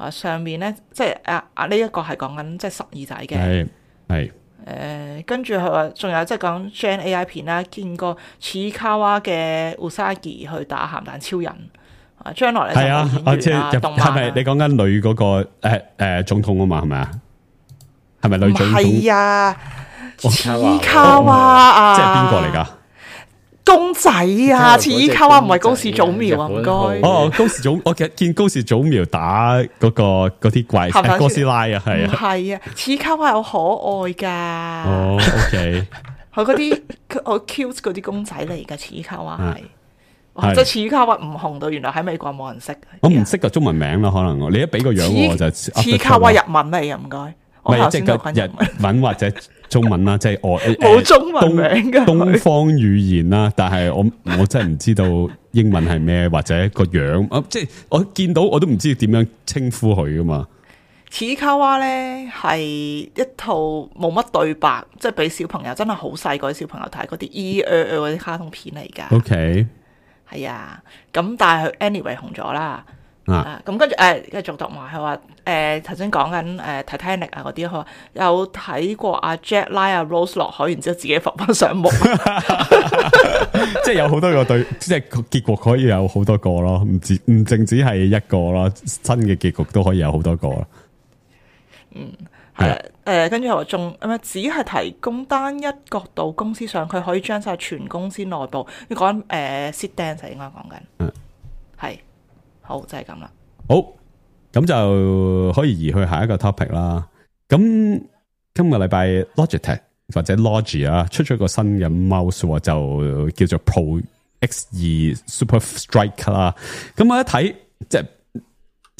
上面咧即係呢一個係講緊即係十耳仔嘅，係。跟住佢話仲有即係講 Gen AI 片啦，見過似卡哇嘅 Usagi 去打鹹蛋超人，將來咧係係咪你講緊女嗰個總統啊嘛？係咪啊？係咪女總統？係啊，似卡哇啊，即係邊個嚟噶？公仔啊，似卡哇唔係高士祖苗啊，唔該。高士祖，我見高士祖苗打嗰啲怪哥斯拉啊，係啊，係啊，似卡哇好可愛噶。OK， 佢嗰啲好 cute 嗰啲公仔嚟噶，似卡哇係，即係似卡哇唔紅到，原來喺美國冇人識。我唔識個中文名啦，可能你一俾個樣我就似卡哇日文嚟嘅，唔該。唔係即係日文或者中文啦，即係我冇中文名嘅東方語言啦，但係我真係唔知道英文係咩或者個樣，即係我見到我都唔知點樣稱呼佢噶嘛。似卡哇咧係一套冇乜對白，即係俾小朋友真係好細個啲小朋友睇嗰啲嗰啲卡通片嚟噶。OK， 係啊，咁但係佢 anyway 紅咗啦。咁跟住繼續讀埋，佢話頭先講緊Titanic 啊嗰啲，佢話有睇過阿 Jack 拉阿 Rose 落海，然之後自己浮翻上木，即係有好多個對，即係結局可以有好多個咯，唔淨止係一個咯，新嘅結局都可以有好多個咯。係跟住又話仲只係提供單一角度公司上，佢可以將晒全公司內部。你講Seed Dance 應該講緊，係好就係咁啦。好，咁就可以移去下一個 topic 啦。咁今個禮拜 Logitech 或者 Logi 啊出咗個新嘅 mouse 就叫做 Pro X2 Super Strike 啦。咁我一睇即係。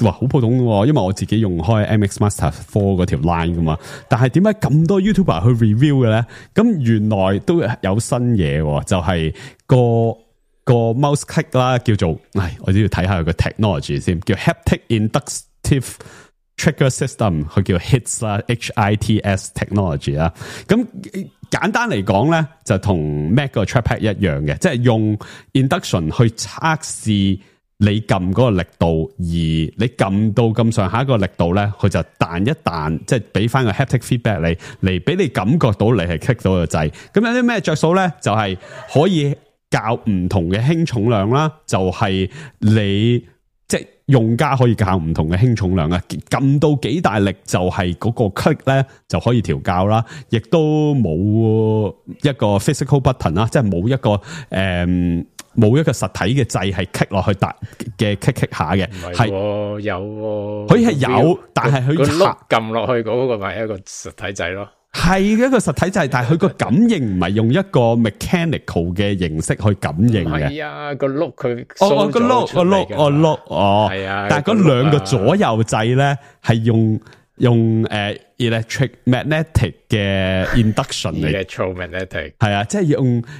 哇，好普通喎，因為我自己用開 MX Master 4嗰條 line 噶嘛，但係點解咁多 YouTuber 去 review 嘅咧？咁原來都有新嘢，就係個 mouse click 啦，叫做，我都要睇下佢個 technology 先，叫 Haptic Inductive Trigger System， 佢叫 HITS 啦 ，HITS technology 啦。咁簡單嚟講咧，就同 Mac 個 trackpad 一樣嘅，即係用 induction 去測試。你撳嗰個力度，而你撳到咁上下一個力度咧，佢就彈一彈，即係俾翻個 haptic feedback 你，嚟俾你感覺到你係 click 到個掣。咁有啲咩着數咧？就係可以校唔同嘅輕重量啦，就係你即係用家可以校唔同嘅輕重量啊。撳到幾大力就係嗰個 click 咧就可以調校啦，亦都冇一個 physical button 啦，即係冇一個冇一個實體嘅掣係 click 落去嘅 click 下嘅，係有佢係有，但係佢個碌撳落去嗰個咪一個實體掣咯，係一個實體掣，但係佢個感應唔係用一個 mechanical 嘅形式去感應嘅。係啊，個碌佢個碌係啊，但係嗰兩個左右掣咧係用electric magnetic 嘅 induction 嚟 electromagnetic 係啊，即係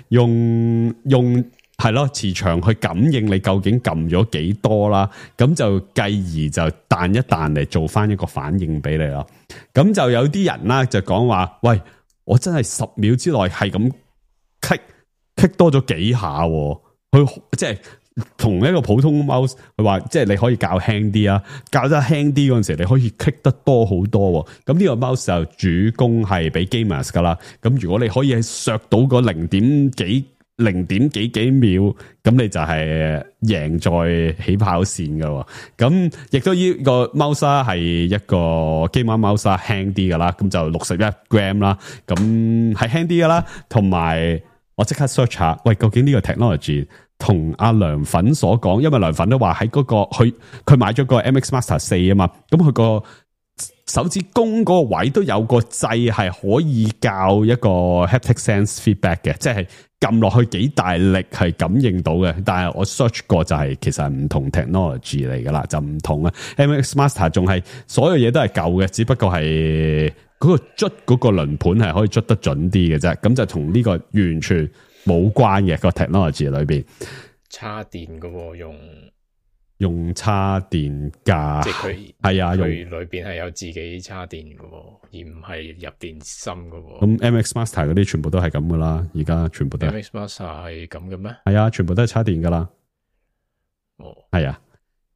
用係咯，磁場去感應你究竟撳咗幾多啦，咁就繼而就彈一彈嚟做翻一個反應俾你咯。咁就有啲人啦就講話，喂，我真係10秒之內係咁 click 多咗幾下，佢即係同一個普通 mouse， 佢話即係你可以較輕啲啊，較得輕啲嗰陣時你可以 click 得多好多。咁呢個 mouse 就主攻係俾 gamers 噶啦。咁如果你可以削到個0點幾秒，咁你就係贏在起跑線噶。咁亦都呢個 mouse 係一個 gamer mouse 輕啲噶啦，咁就61 gram 啦，咁係輕啲噶啦。同埋我即刻 search 下，喂，究竟呢個 technology 同阿梁粉所講，因為梁粉都話喺嗰個佢買咗個 MX Master 4啊嘛，咁佢個手指公嗰個位都有個掣係可以校一個 haptic sense feedback 嘅，即係撳落去幾大力係感應到嘅。但係我 search 過就係其實係唔同 technology 嚟噶啦，就唔同啊。MX Master 仲係所有嘢都係舊嘅，只不過係嗰個捽嗰個輪盤係可以捽得準啲嘅啫。咁就同呢個完全冇關嘅個 technology 裏邊。插電噶用插電架，即係佢係啊，佢裏邊係有自己插電噶，而唔係入電芯噶。咁 MX Master 嗰啲全部都係咁噶啦，而家全部都係 MX Master 係咁嘅咩？係啊，全部都係插電噶啦。哦，係啊。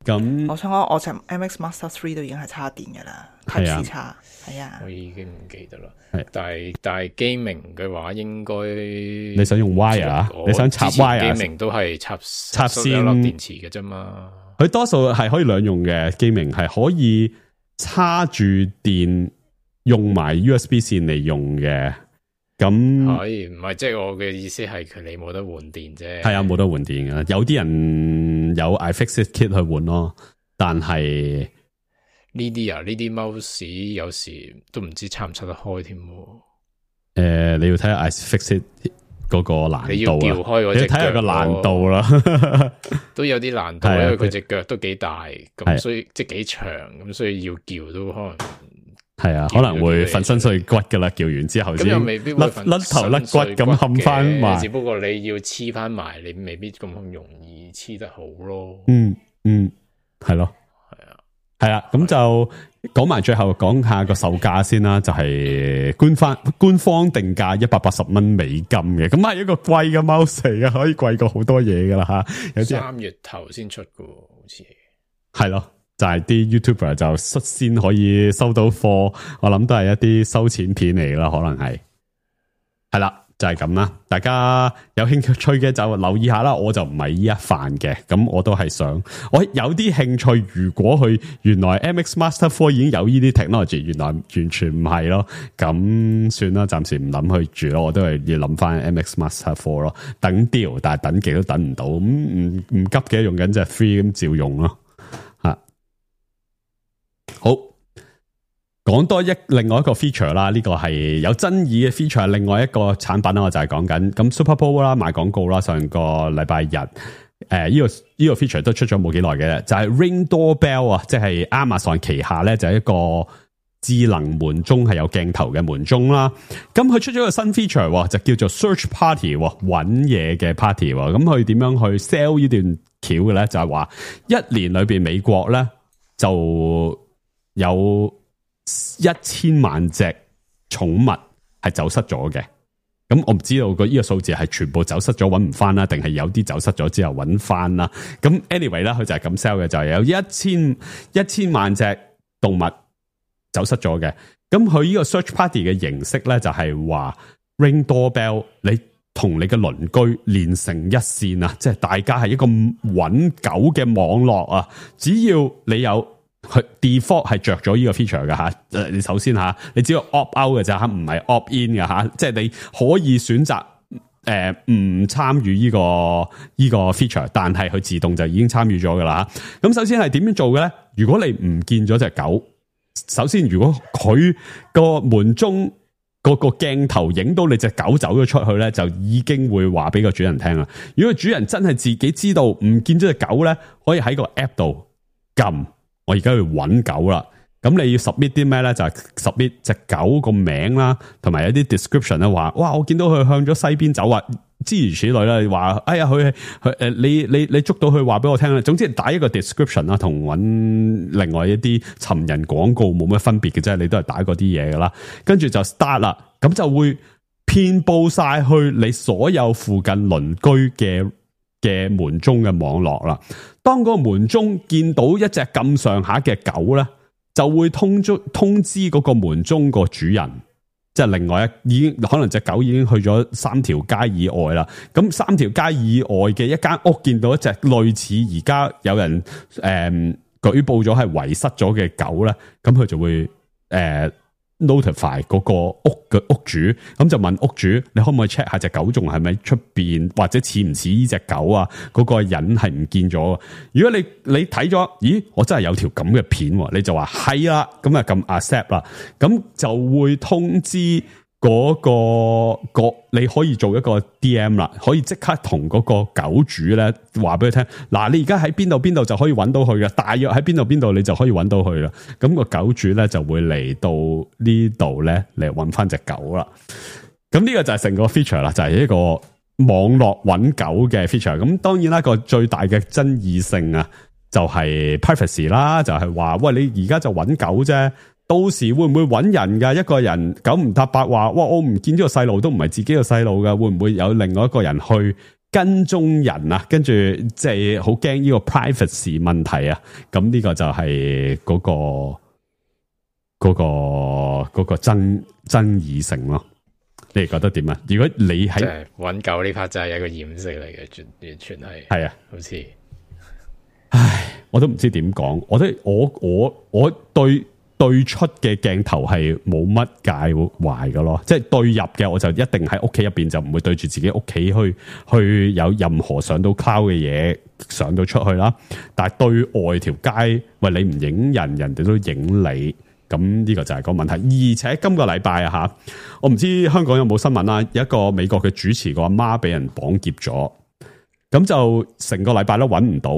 咁我想講，我隻 MX Master 3都已經係插電噶啦，Type C 插，係啊。我已經唔記得啦。係，但係 gaming 嘅話，應該你想用 wire 啊？你想插 wire？ gaming 都係插線粒電池嘅啫嘛。佢多數係可以兩用嘅 gaming， 係可以插住電用埋 USB 線嚟用嘅。咁係唔係即係我嘅意思係佢你冇得換電啫。係啊，冇得換電嘅。有啲人有 iFixit kit 去換咯，但係呢啲 mouse 有時都唔知插唔插得開添。你要睇下 iFixit 嗰個難度啊，你要撬開嗰隻腳，你要睇下個難度啦，都有啲難度，因為佢隻腳都幾大，咁所以即係幾長，咁所以要撬都可能係啊，可能會粉身碎骨噶啦，撬完之後咁又未必會甩頭甩骨咁冚翻埋，只不過你要黐翻埋，你未必咁容易黐得好咯。係咯，係啊，咁就講埋最後講下個售價先啦，就係官方定價$180美金嘅，咁係一個貴嘅 mouse 嚟嘅，可以貴過好多嘢噶啦吓。有啲3月頭先出嘅，好似係咯，就係啲 YouTuber 就率先可以收到貨，我諗都係一啲收錢片嚟啦，可能係啦。就係咁啦。大家有興趣嘅就留意下啦。我就唔係呢一範嘅，咁我都係想我有啲興趣。如果佢原來 MX Master 4已經有呢啲 technology， 原來完全唔係咯，咁算啦，暫時唔諗去住咯。我都係要諗翻 MX Master 4咯，等 deal， 但係等極都等唔到，咁唔急嘅，用緊隻 free 咁照用咯。吓，好。講多另外一個 feature 啦，呢個係有爭議嘅 feature， 另外一個產品啦，我就係講緊咁 Super Bowl 啦，賣廣告啦，上個禮拜日，呢個 feature 都出咗冇幾耐嘅，就係 Ring Doorbell 啊，即係 Amazon 旗下咧就係一個智能門鐘，係有鏡頭嘅門鐘啦。咁佢出咗個新 feature 就叫做 Search Party 揾嘢嘅 party。咁佢點樣去 sell 呢段橋嘅咧？就係話一年裏邊美國咧就有1000萬隻寵物係走失咗嘅，咁我唔知道呢個數字係全部走失咗揾唔翻啦，定係有啲走失咗之後揾翻啦。咁 anyway 啦，佢就係咁 sell 嘅，就係有1000萬隻動物走失咗嘅。咁佢呢個 search party 嘅形式咧，就係話 Ring Doorbell， 你同你嘅鄰居連成一線啊，即係大家係一個揾狗嘅網絡啊，只要你有佢 default 係着咗呢個 feature 嘅吓，你首先吓，你只要 opt out 嘅咋吓，唔係 opt in 嘅吓，即係你可以選擇唔參與呢個 feature， 但係佢自動就已經參與咗噶啦吓。咁首先係點樣做嘅咧？如果你唔見咗隻狗，首先如果佢個門鐘個鏡頭影到你隻狗走咗出去咧，就已經會話俾個主人聽啦。如果主人真係自己知道唔見咗隻狗咧，可以喺個 app 度撳。我而家去揾狗啦，咁你要 submit 啲咩咧？就係 submit 隻狗個名啦，同埋有啲 description 咧，話哇，我見到佢向咗西邊走啊，諸如此類啦。話哎呀，佢你捉到佢話俾我聽啦。總之打一個 description 啦，同揾另外一啲尋人廣告冇乜分別嘅啫，你都係打嗰啲嘢噶啦。跟住就 start 啦，咁就會遍佈晒去你所有附近鄰居嘅門鐘嘅網絡啦。當嗰個門鐘見到一隻咁上下嘅狗咧，就會通知嗰個門鐘個主人，即係另外已經可能隻狗已經去咗3條街以外啦。咁3條街以外嘅一間屋見到一隻類似而家有人舉報咗係遺失咗嘅狗咧，咁佢就會notify 嗰個屋嘅屋主，咁就問屋主，你可唔可以 check 下隻狗仲係咪出邊，或者似唔似呢隻狗啊？嗰個人係唔見咗。如果你睇咗，咦，我真係有條咁嘅片，你就話係啦，咁啊撳 accept 啦，咁就會通知嗰個你可以做一個 DM 啦，可以即刻同嗰個狗主咧話俾佢聽，嗱，你而家喺邊度就可以揾到佢嘅，大約喺邊度你就可以揾到佢啦。咁個狗主咧就會嚟到呢度咧嚟揾翻隻狗啦。咁呢個就係成個 feature 啦，就係一個網絡揾狗嘅 feature。咁當然啦，個最大嘅爭議性啊，就係 privacy 啦，就係話喂，你而家就揾狗啫。到時會唔會揾人噶？一個人9唔搭8話，哇！我唔見咗個細路，都唔係自己個細路噶，會唔會有另外一個人去跟蹤人啊？跟住即係好驚呢個 privacy 問題啊！咁呢個就係嗰個爭議性咯。你哋覺得點啊？如果你喺揾狗呢 part 真係一個掩飾嚟嘅，完全係啊，好似，唉，我都唔知點講。我對出嘅鏡頭係冇乜介懷嘅咯，即係對入嘅我就一定喺屋企入邊，就唔會對住自己屋企去有任何上到 cloud 嘅嘢上到出去啦。但係對外條街，喂，你唔影人，人哋都影你，咁呢個就係個問題。而且今個禮拜啊吓，我唔知香港有冇新聞啦，有一個美國嘅主持個阿媽俾人綁劫咗，咁就成個禮拜都揾唔到，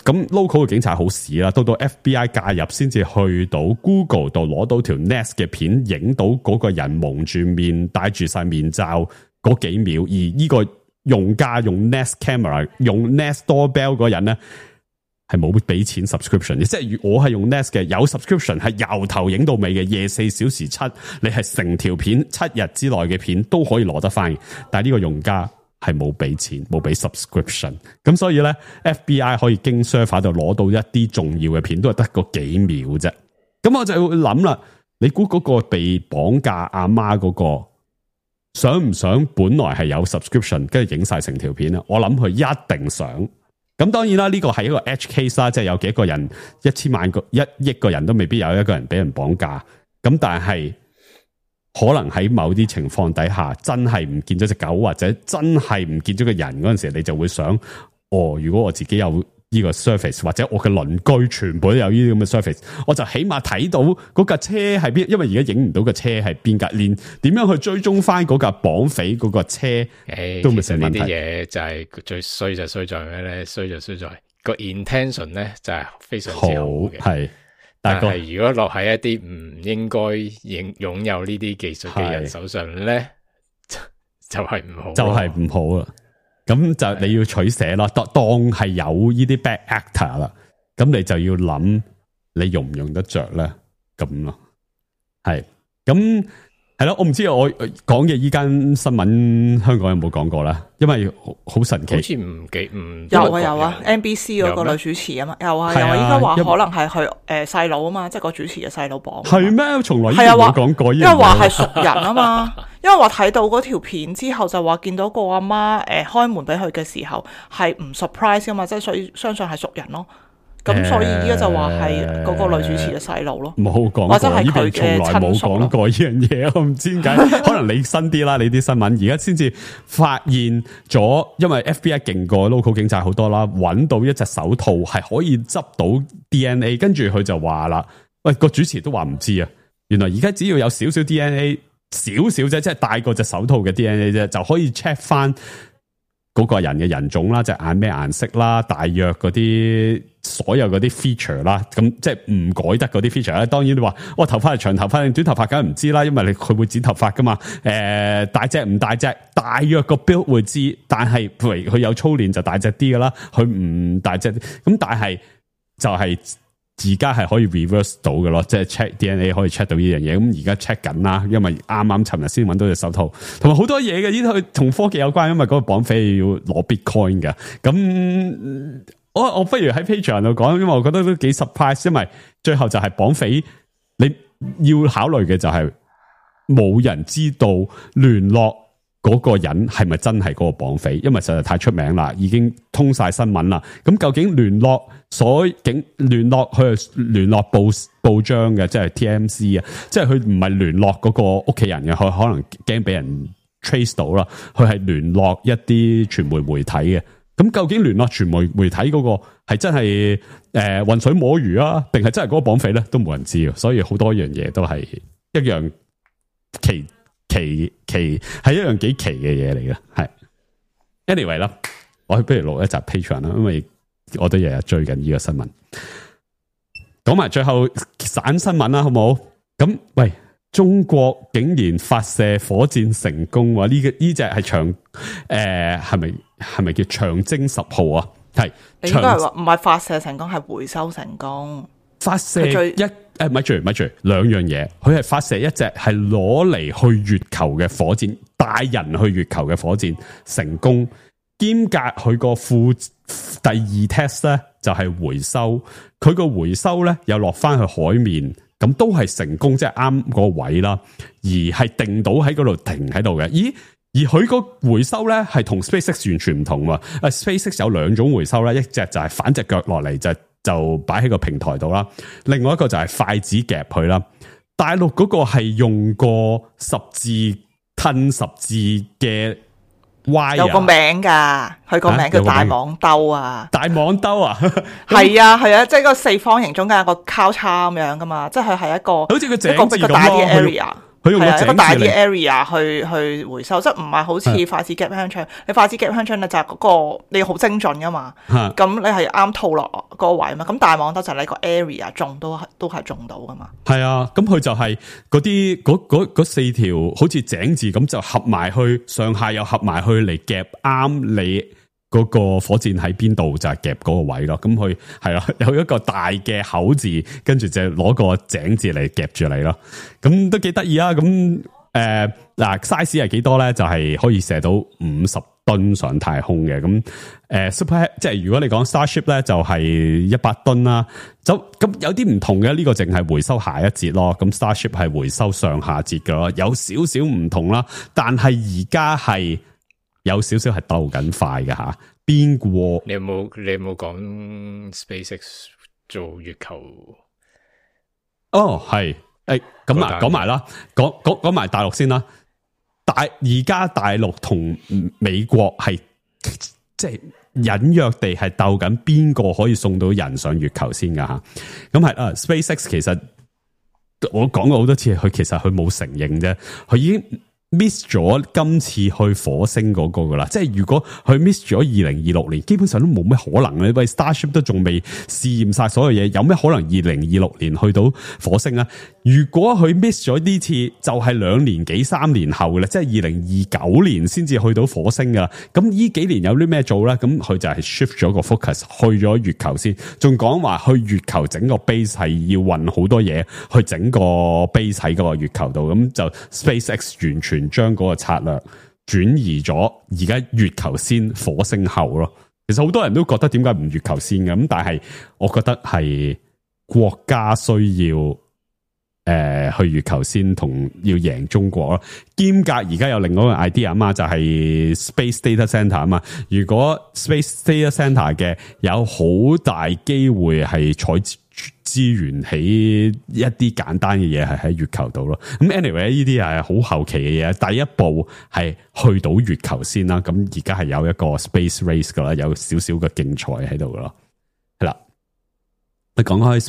咁 local 嘅警察好屎啦，到 FBI 介入先至去到 Google 度攞到條 Nest 嘅片，影到嗰個人蒙住面戴住晒面罩嗰幾秒，而呢個用家用 Nest Camera 用 Nest Doorbell 嗰人咧係冇俾錢 subscription 嘅，即係我係用 Nest 嘅，有 subscription 係由頭影到尾嘅，24小時7，你係成條片7日之內嘅片都可以攞得翻，但係呢個用家係冇俾錢，冇俾 subscription， 咁所以咧 FBI 可以經 server 度攞到一啲重要嘅片，都係得個幾秒啫。咁我就會諗啦，你估嗰個被綁架阿媽嗰個想唔想本來係有 subscription 跟住影晒成條片啊？我諗佢一定想。咁當然啦，呢個係一個 edge case 啦，即係有幾個人1000萬個1億個人都未必有一個人俾人綁架。咁但係可能喺某啲情況底下，真係唔見咗隻狗或者真係唔見咗個人嗰陣時，你就會想，如果我自己有呢個 service 或者我嘅鄰居全部都有呢啲咁嘅 service， 我就起碼睇到嗰架車係邊，因為而家影唔到個車係邊架，連點樣去追蹤翻嗰架綁匪嗰個車都未成問題。呢啲嘢就係最衰就衰在咩咧？衰就衰在個 intention 咧就係非常之好嘅，係。但係如果落喺一啲唔應該擁有呢啲技術嘅人手上咧，就係唔好，就係唔好啦。咁就你要取捨啦，當係有呢啲 bad actor 啦，咁你就要諗你用唔用得着咧，咁咯，係，咁係咯，我唔知我講嘅依間新聞香港有冇講過啦，因為好神奇，好似唔有啊 NBC 嗰個女主持啊嘛，有啊，應該話可能係佢細佬啊嘛，即係個主持嘅細佬綁，係咩？從來冇講過，因為話係熟人啊嘛。因為話睇到嗰條片之後就話見到個阿媽開門俾佢嘅時候係唔 surprise 噶嘛，即係所以相信係熟人咯。咁所以依家就話係嗰個女主持嘅細路咯，冇講過，或者係佢嘅親屬咯。從來冇講過呢樣嘢，我唔知點解。可能你新啲啦，你啲新聞而家先至發現咗，因為 FBI 勁過 local 警察好多啦，揾到一隻手套係可以執到 DNA， 跟住佢就話啦，喂，個主持都話唔知啊，原來而家只要有少少 DNA。少少啫，即係大過隻手套嘅 DNA 啫，就可以 check 翻嗰個人嘅人種啦，隻眼咩顏色啦，大約嗰啲所有嗰啲 feature 啦，咁即係唔改得嗰啲 feature 咧。當然你話我頭髮係長頭髮定短頭髮，梗係唔知啦，因為佢會剪頭髮噶嘛。大隻唔大隻，大約個 build 會知，但係譬如佢有操練就大隻啲噶啦，佢唔大隻咁，但係就係。而家係可以 reverse 到嘅咯，即係 check DNA 可以 check 到呢樣嘢。咁而家 check 緊啦，因為啱啱尋日先揾到隻手套，同埋好多嘢嘅，呢啲同科技有關，因為嗰個綁匪要攞 Bitcoin 嘅。咁我不如喺 Patreon 度講，因為我覺得都幾 surprise， 因為最後就係綁匪，你要考慮嘅就係冇人知道聯絡嗰個人係咪真係嗰個綁匪，因為實在太出名啦，已經通晒新聞啦。咁究竟聯絡佢係聯絡報章嘅，即係 TMC 啊，即係佢唔係聯絡嗰個屋企人嘅，佢可能驚俾人 trace 到啦。佢係聯絡一啲傳媒體嘅。咁究竟聯絡傳媒體嗰個係真係渾水摸魚啊，定係真係嗰個綁匪咧？都冇人知啊。所以好多樣嘢都係一樣奇係一樣幾奇嘅嘢嚟嘅。係 anyway 啦，我不如錄一集 Patreon 啦，因為我都日日追緊呢個新聞，講埋最後散新聞啦，好唔好？咁喂，中國竟然發射火箭成功，話呢隻係長係咪叫長征10號啊？係，你應該係話唔係發射成功，係回收成功。發射咪住兩樣嘢，佢係發射一隻係攞嚟去月球嘅火箭，帶人去月球嘅火箭成功，兼隔佢個第二 test 咧就係回收，佢個回收咧又落翻去海面，咁都係成功，即係啱個位啦，而係定到喺嗰度停喺度嘅。咦？而佢個回收咧係同 SpaceX 完全唔同喎。SpaceX 有兩種回收咧，一隻就係反隻腳落嚟就擺喺個平台度啦，另外一個就係筷子夾佢啦。大陸嗰個係用個十字嘅 wire， 有個名噶，佢個名叫大網兜啊。大網兜啊，係啊，即係個四方形中間有個交叉咁樣噶嘛，即係佢係一個好似個井字咁咯。佢用一個大啲 area 去回收，即係唔係好似筷子夾香腸。你筷子夾香腸咧就係嗰個你好精準噶嘛，咁你係啱套落嗰個位嘛。咁大網兜就係你個 area 中都係中到噶嘛。係啊，咁佢就係嗰四條好似井字咁就合埋去，上下又合埋去嚟夾啱你嗰個火箭喺邊度就係夾嗰個位咯。咁佢係啦，有一個大嘅口字，跟住就攞個井字嚟夾住你咯。咁都幾得意啊！咁嗱 size 係幾多咧？就係可以射到50噸噸上太空嘅。咁Super 即係如果你講 Starship 咧就係100噸啦。咁有啲唔同嘅，呢個淨係回收下一節咯。咁 Starship 係回收上下節嘅咯，有少少唔同啦。但係而家係有少少係鬥緊快嘅吓。邊個？你有冇講 SpaceX 做月球？哦，係。咁啊，講埋啦，講埋大陸先啦。而家大陸同美國係即係隱約地係鬥緊邊個可以送到人上月球先噶吓。咁係啊 ，SpaceX 其實我講過好多次，佢其實佢冇承認啫，佢已經 miss 咗今次去火星嗰個噶啦，即係如果佢 miss 咗2026年，基本上都冇咩可能咧。喂 ，Starship 都仲未試驗晒所有嘢，有咩可能2026年去到火星啊？如果佢 miss 咗呢次，就係2年幾3年後嘅啦，即係2029年先至去到火星噶啦。咁呢幾年有啲咩做咧？咁佢就係 shift 咗個 focus 去咗月球先，仲講話去月球整個 base 係要運好多嘢去整個 base 喺個月球度，咁就 SpaceX 完全將嗰個策略轉移咗，而家月球先，火星後咯。其實好多人都覺得點解唔月球先嘅，咁但係我覺得係國家需要去月球先，同要贏中國咯。兼夾而家有另外一個 idea 啊嘛，就係 Space Data Center 啊嘛。如果 Space Data Center 嘅有好大機會係採資源起一啲簡單嘅嘢係喺月球度咯。咁 anyway 呢啲係好後期嘅嘢，第一步係去到月球先啦。咁而家係有一個 space race 噶啦，有少少嘅競賽喺度噶咯。係啦，你講開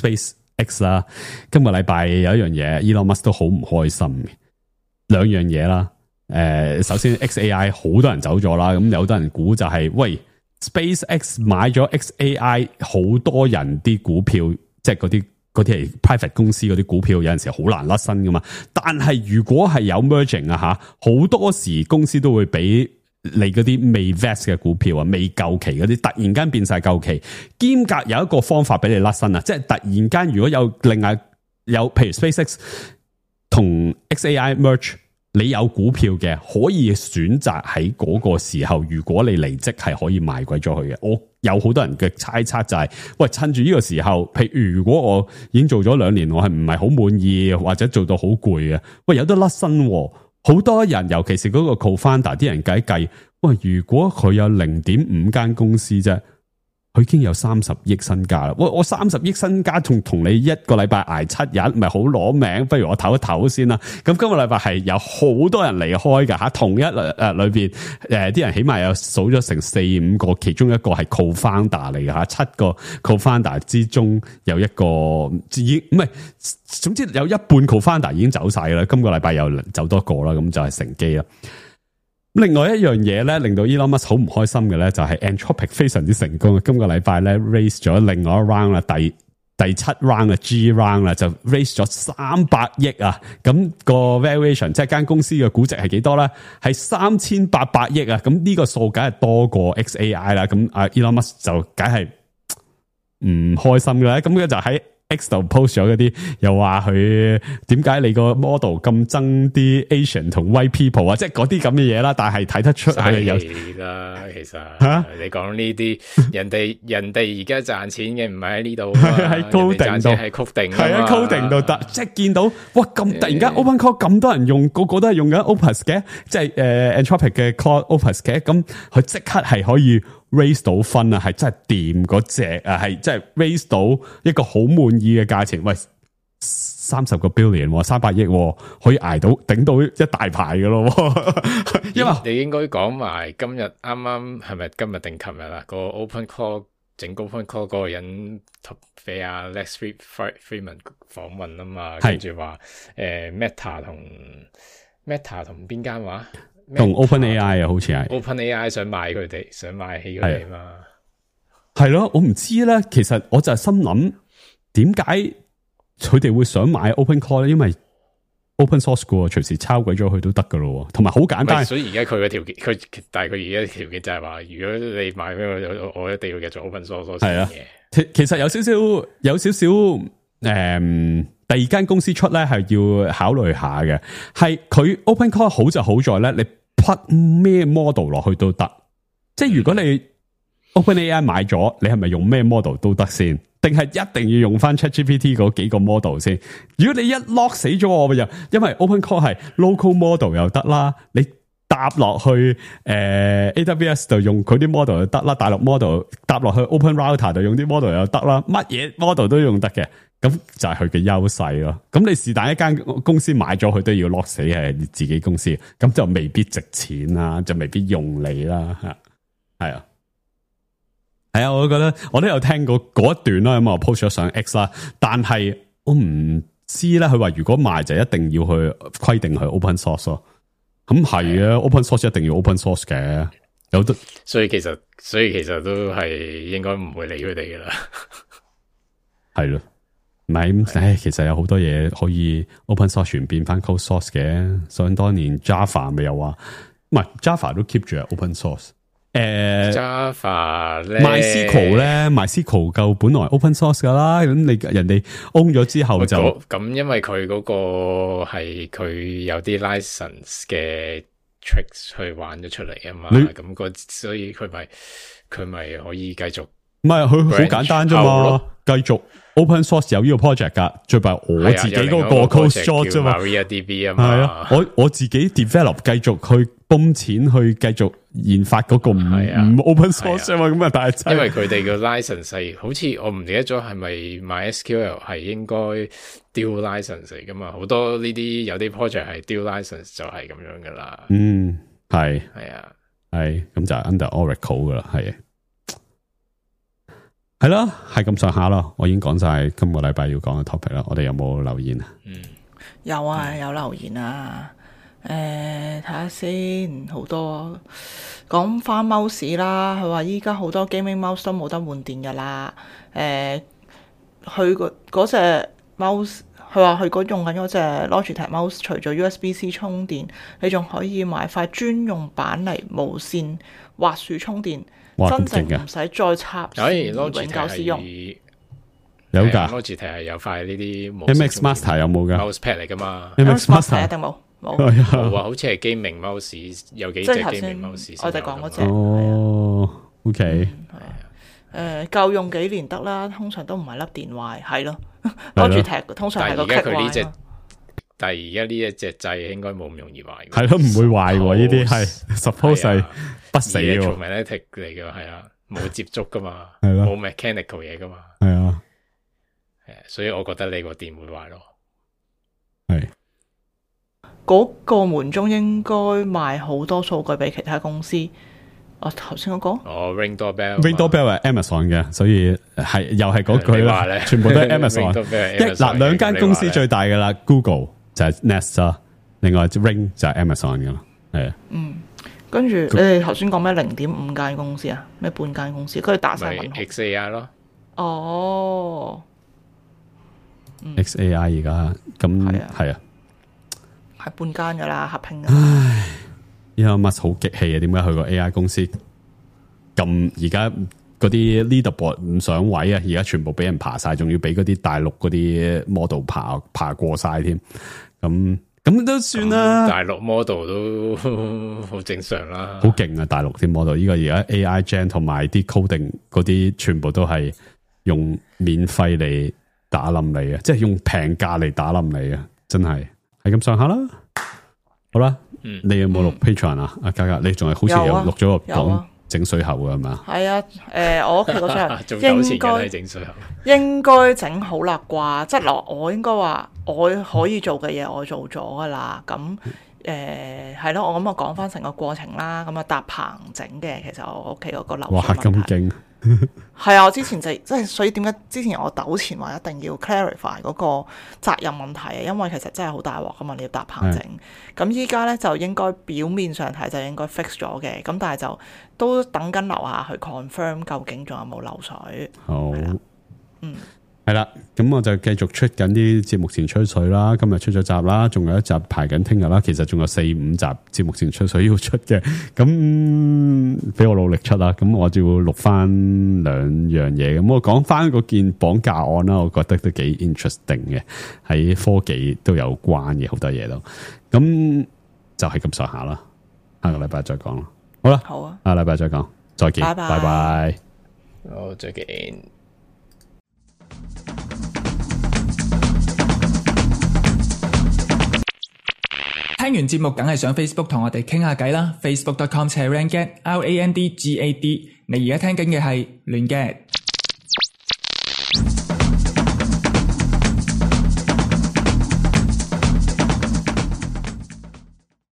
SpaceX 啦，今個禮拜有一樣嘢 Elon Musk 都好唔開心嘅，兩樣嘢啦。首先 XAI 好多人走咗啦，咁有好多人估就係喂 SpaceX 買咗 XAI， 好多人啲股票。即係嗰啲係 private 公司嗰啲股票，有陣時好難甩身噶嘛。但係如果係有 merging 啊吓，好多時公司都會俾你嗰啲未 vest 嘅股票啊，未夠期嗰啲，突然間變晒夠期。兼夾有一個方法俾你甩身啊，即係突然間如果有另外有譬如 SpaceX 同 XAI merge， 你有股票嘅可以選擇喺嗰個時候，如果你離職係可以賣鬼咗佢嘅。我有好多人嘅猜測就係，喂，趁住呢個時候，譬如如果我已經做咗2年，我係唔係好滿意，或者做到好攰嘅，喂，有得甩身。好多人尤其是嗰個 co-founder 啲人計，喂，如果佢有 0.5 間公司啫，佢已經有30億身家啦。我30億身家同你一個禮拜挨7日，咪好攞命？不如我唞一唞先啦。咁今個禮拜係有好多人離開噶吓，同一裏邊啲人起碼有數咗成4-5個，其中一個係 co-founder 嚟噶吓，7個 co-founder 之中有一個已經唔係，總之有一半 co-founder 已經走晒啦。今個禮拜又走多個啦，咁就係乘機啦。另外一樣嘢咧，令到 Elon Musk 好唔開心嘅咧，就係 Anthropic 非常之成功。今個禮拜咧 raise 咗另外一 round 啦，第7 round 啊 G round 啦，就 raise 咗300億啊。咁個 valuation 即係間公司嘅估值係幾多咧？係3800億啊。咁呢個數梗係多過 XAI 啦。咁阿 Elon Musk 就梗係唔開心嘅啦。咁佢就喺X 度 post 咗嗰啲，又話佢點解你個 model 咁憎啲 Asian 同 white people 啊，即係嗰啲咁嘅嘢啦。但係睇得出係有啦，其實你講呢啲，人哋而家賺錢嘅唔係喺呢度，喺 coding 度，係 coding，係啊 coding 度得，即係見到哇咁突然間 OpenClaw 咁多人用，個個都係用緊 Opus 嘅，即係Anthropic 嘅 Claude Opus 嘅，咁佢即刻係可以 raise 到分啊，係真係掂嗰隻啊，係真係 raise 到一個好滿意嘅價錢。喂，30個 billion，300億，可以捱到頂到一大排嘅咯。因為你應該講埋今日啱啱係咪今日定琴日啦？個 OpenClaw 整 OpenClaw 嗰個人俾阿 Lex Fridman 訪問啊嘛，跟住話Meta 同邊間話？同 OpenAI 啊，好似係 OpenAI 想買佢哋，想買起佢哋嘛？係咯，我唔知咧。其實我就係心諗，點解佢哋會想買 OpenClaw 咧？因為 open source 嘅，隨時抄鬼咗佢都得噶咯。同埋好簡單。所以而家佢嘅條件，但係佢而家條件就係話，如果你買俾我一定要繼續 open source 係啊。其實有少少第二間公司出咧係要考慮下嘅，係佢 OpenClaw 好就好在咧，你 plug 咩 model 落去都得，即係如果你 OpenAI 買咗，你係咪用咩 model 都得先？定係一定要用翻 ChatGPT 嗰幾個 model 先？如果你一 lock 死咗我又，因為 OpenCore 係 local model 又得啦，你搭落去AWS 度用佢啲 model 又得啦，大陸 model 搭落去 OpenRouter 度用啲 model 又得啦，乜嘢 model 都用得嘅，咁就係佢嘅優勢咯。咁你是但一間公司買咗佢都要 lock 死係自己公司，咁就未必值錢啦，就未必用你啦，係啊。係啊，我覺得我都有聽過嗰一段啦，咁我 post 咗上 X 啦，但係我唔知咧，佢話如果賣就一定要去規定去 open source 咯，咁係啊 ，open source 一定要 open source 嘅，有得，所以其實都係應該唔會理佢哋噶啦，係咯，唔係，唉，其實有好多嘢可以 open source 完變翻 closed source 嘅，想當年 Java 咪又話，唔係 Java 都 keep 住係 open source。Java 咧 ，MySQL 夠本來 open source 噶啦，咁你人哋 own 咗之後就咁，因為佢嗰個係佢有啲 license 嘅 tricks 去玩咗出嚟啊嘛，咁所以佢咪可以繼續，唔係佢好簡單啫嘛，繼續 open source 有呢個 project 噶，最弊我自己嗰個 closed source 啫嘛 ，MariaDB 啊嘛，係啊，我自己 develop 繼續去泵錢去繼續研發嗰個唔 open source 啊嘛，咁啊但係因為佢哋個 license 係好似我唔記得咗係咪 MySQL 係應該 dual license 嚟噶嘛，好多呢啲有啲 project 係 dual license 就係咁樣噶啦，係啊，係咁就係 under Oracle 噶啦，係咯，係咁上下咯，我已經講晒今個禮拜要講嘅 topic 啦，我哋有冇留言啊？有啊，有留言啊。睇下先，好多講翻 mouse 啦。佢話依家好多 gaming mouse 都冇得換電噶啦。佢嗰隻 mouse，佢話佢用緊嗰隻 Logitech mouse，除咗 USB-C 充電，你仲可以買塊專用板嚟無線滑鼠充電，真正唔使再插線永久使用。有噶 Logitech 係有塊呢啲 MX Master 有冇噶 mouse pad 嚟噶嘛 ？MX Master 一定冇。冇啊，好似係 gaming mouse， 有幾隻 gaming mouse。我哋講嗰隻。哦 ，OK。夠用幾年得啦，通常都唔係粒電壞，係咯。Logitech通常係個 kick 壞。但係而家呢一隻掣應該冇咁容易壞。係咯，唔會壞喎，呢啲係 suppose 係不死喎。Electromagnetic 嚟嘅係啊，冇接觸噶嘛，係咯，冇 mechanical 嘢噶嘛。係啊，所以我覺得你個電會壞咯。係。嗰個門中應該賣好多數據俾其他公司。我頭先嗰個Ring Doorbell 係 Amazon 嘅，所以係又係嗰句啦，全部都係 Amazon。嗱，兩間公司最大嘅啦 ，Google 就係 Nest 啦，另外 Ring 就係 Amazon 嘅啦，係啊。跟住你哋頭先講咩0.5間公司啊？咩半間公司？佢哋打晒問號。XAI 咯。哦。XAI 而家咁係啊。係半間噶啦，合併。唉，Elon Musk好激氣啊！點解佢個 AI 公司咁而家嗰啲 leaderboard 唔上位啊？而家全部俾人爬晒，仲要俾嗰啲大陸嗰啲 model 爬過晒添。咁都算啦。大陸 model 都好正常啦。好勁啊！大陸啲 model，依個而家 AI Gen 同埋啲 coding 嗰啲，全部都係用免費嚟打冧你啊！即係用平價嚟打冧你啊！真係。係咁上下啦，好啦，你有冇錄 Patreon 啊？阿嘉嘉，你仲係好似有錄咗個講整水喉嘅係嘛？係啊，我屋企嗰張應該整好啦啩，即係我應該話我可以做嘅嘢我做咗噶啦，咁係咯，我咁啊講翻成個過程啦，咁啊搭棚整嘅，其實我屋企嗰個流水問題。哇，咁勁！係啊，我之前即係所以點解之前我糾纏話一定要 clarify 嗰個責任問題啊？因為其實真係好大鑊噶嘛，你要搭棚整。咁依家咧就應該表面上睇就應該 fix 咗嘅，咁但係就都等緊樓下去 confirm 究竟仲有冇漏水。好，係啦，咁我就繼續出緊啲節目前吹水啦。今日出咗集啦，仲有一集排緊聽日啦。其實仲有4-5集節目前吹水要出嘅，咁俾我努力出啦。咁我就要錄翻2樣嘢。咁我講翻嗰件綁架案啦，我覺得都幾 interesting 嘅，喺科技都有關嘅好多嘢都。咁就係咁上下啦。下個禮拜再講啦。好啦，好啊，下個禮拜再講。再見，拜拜拜拜。好，再見。聽完節目梗係上 Facebook 同我哋傾下偈啦，facebook.com/randgad，RANDGAD。你而家聽緊嘅係亂 gad。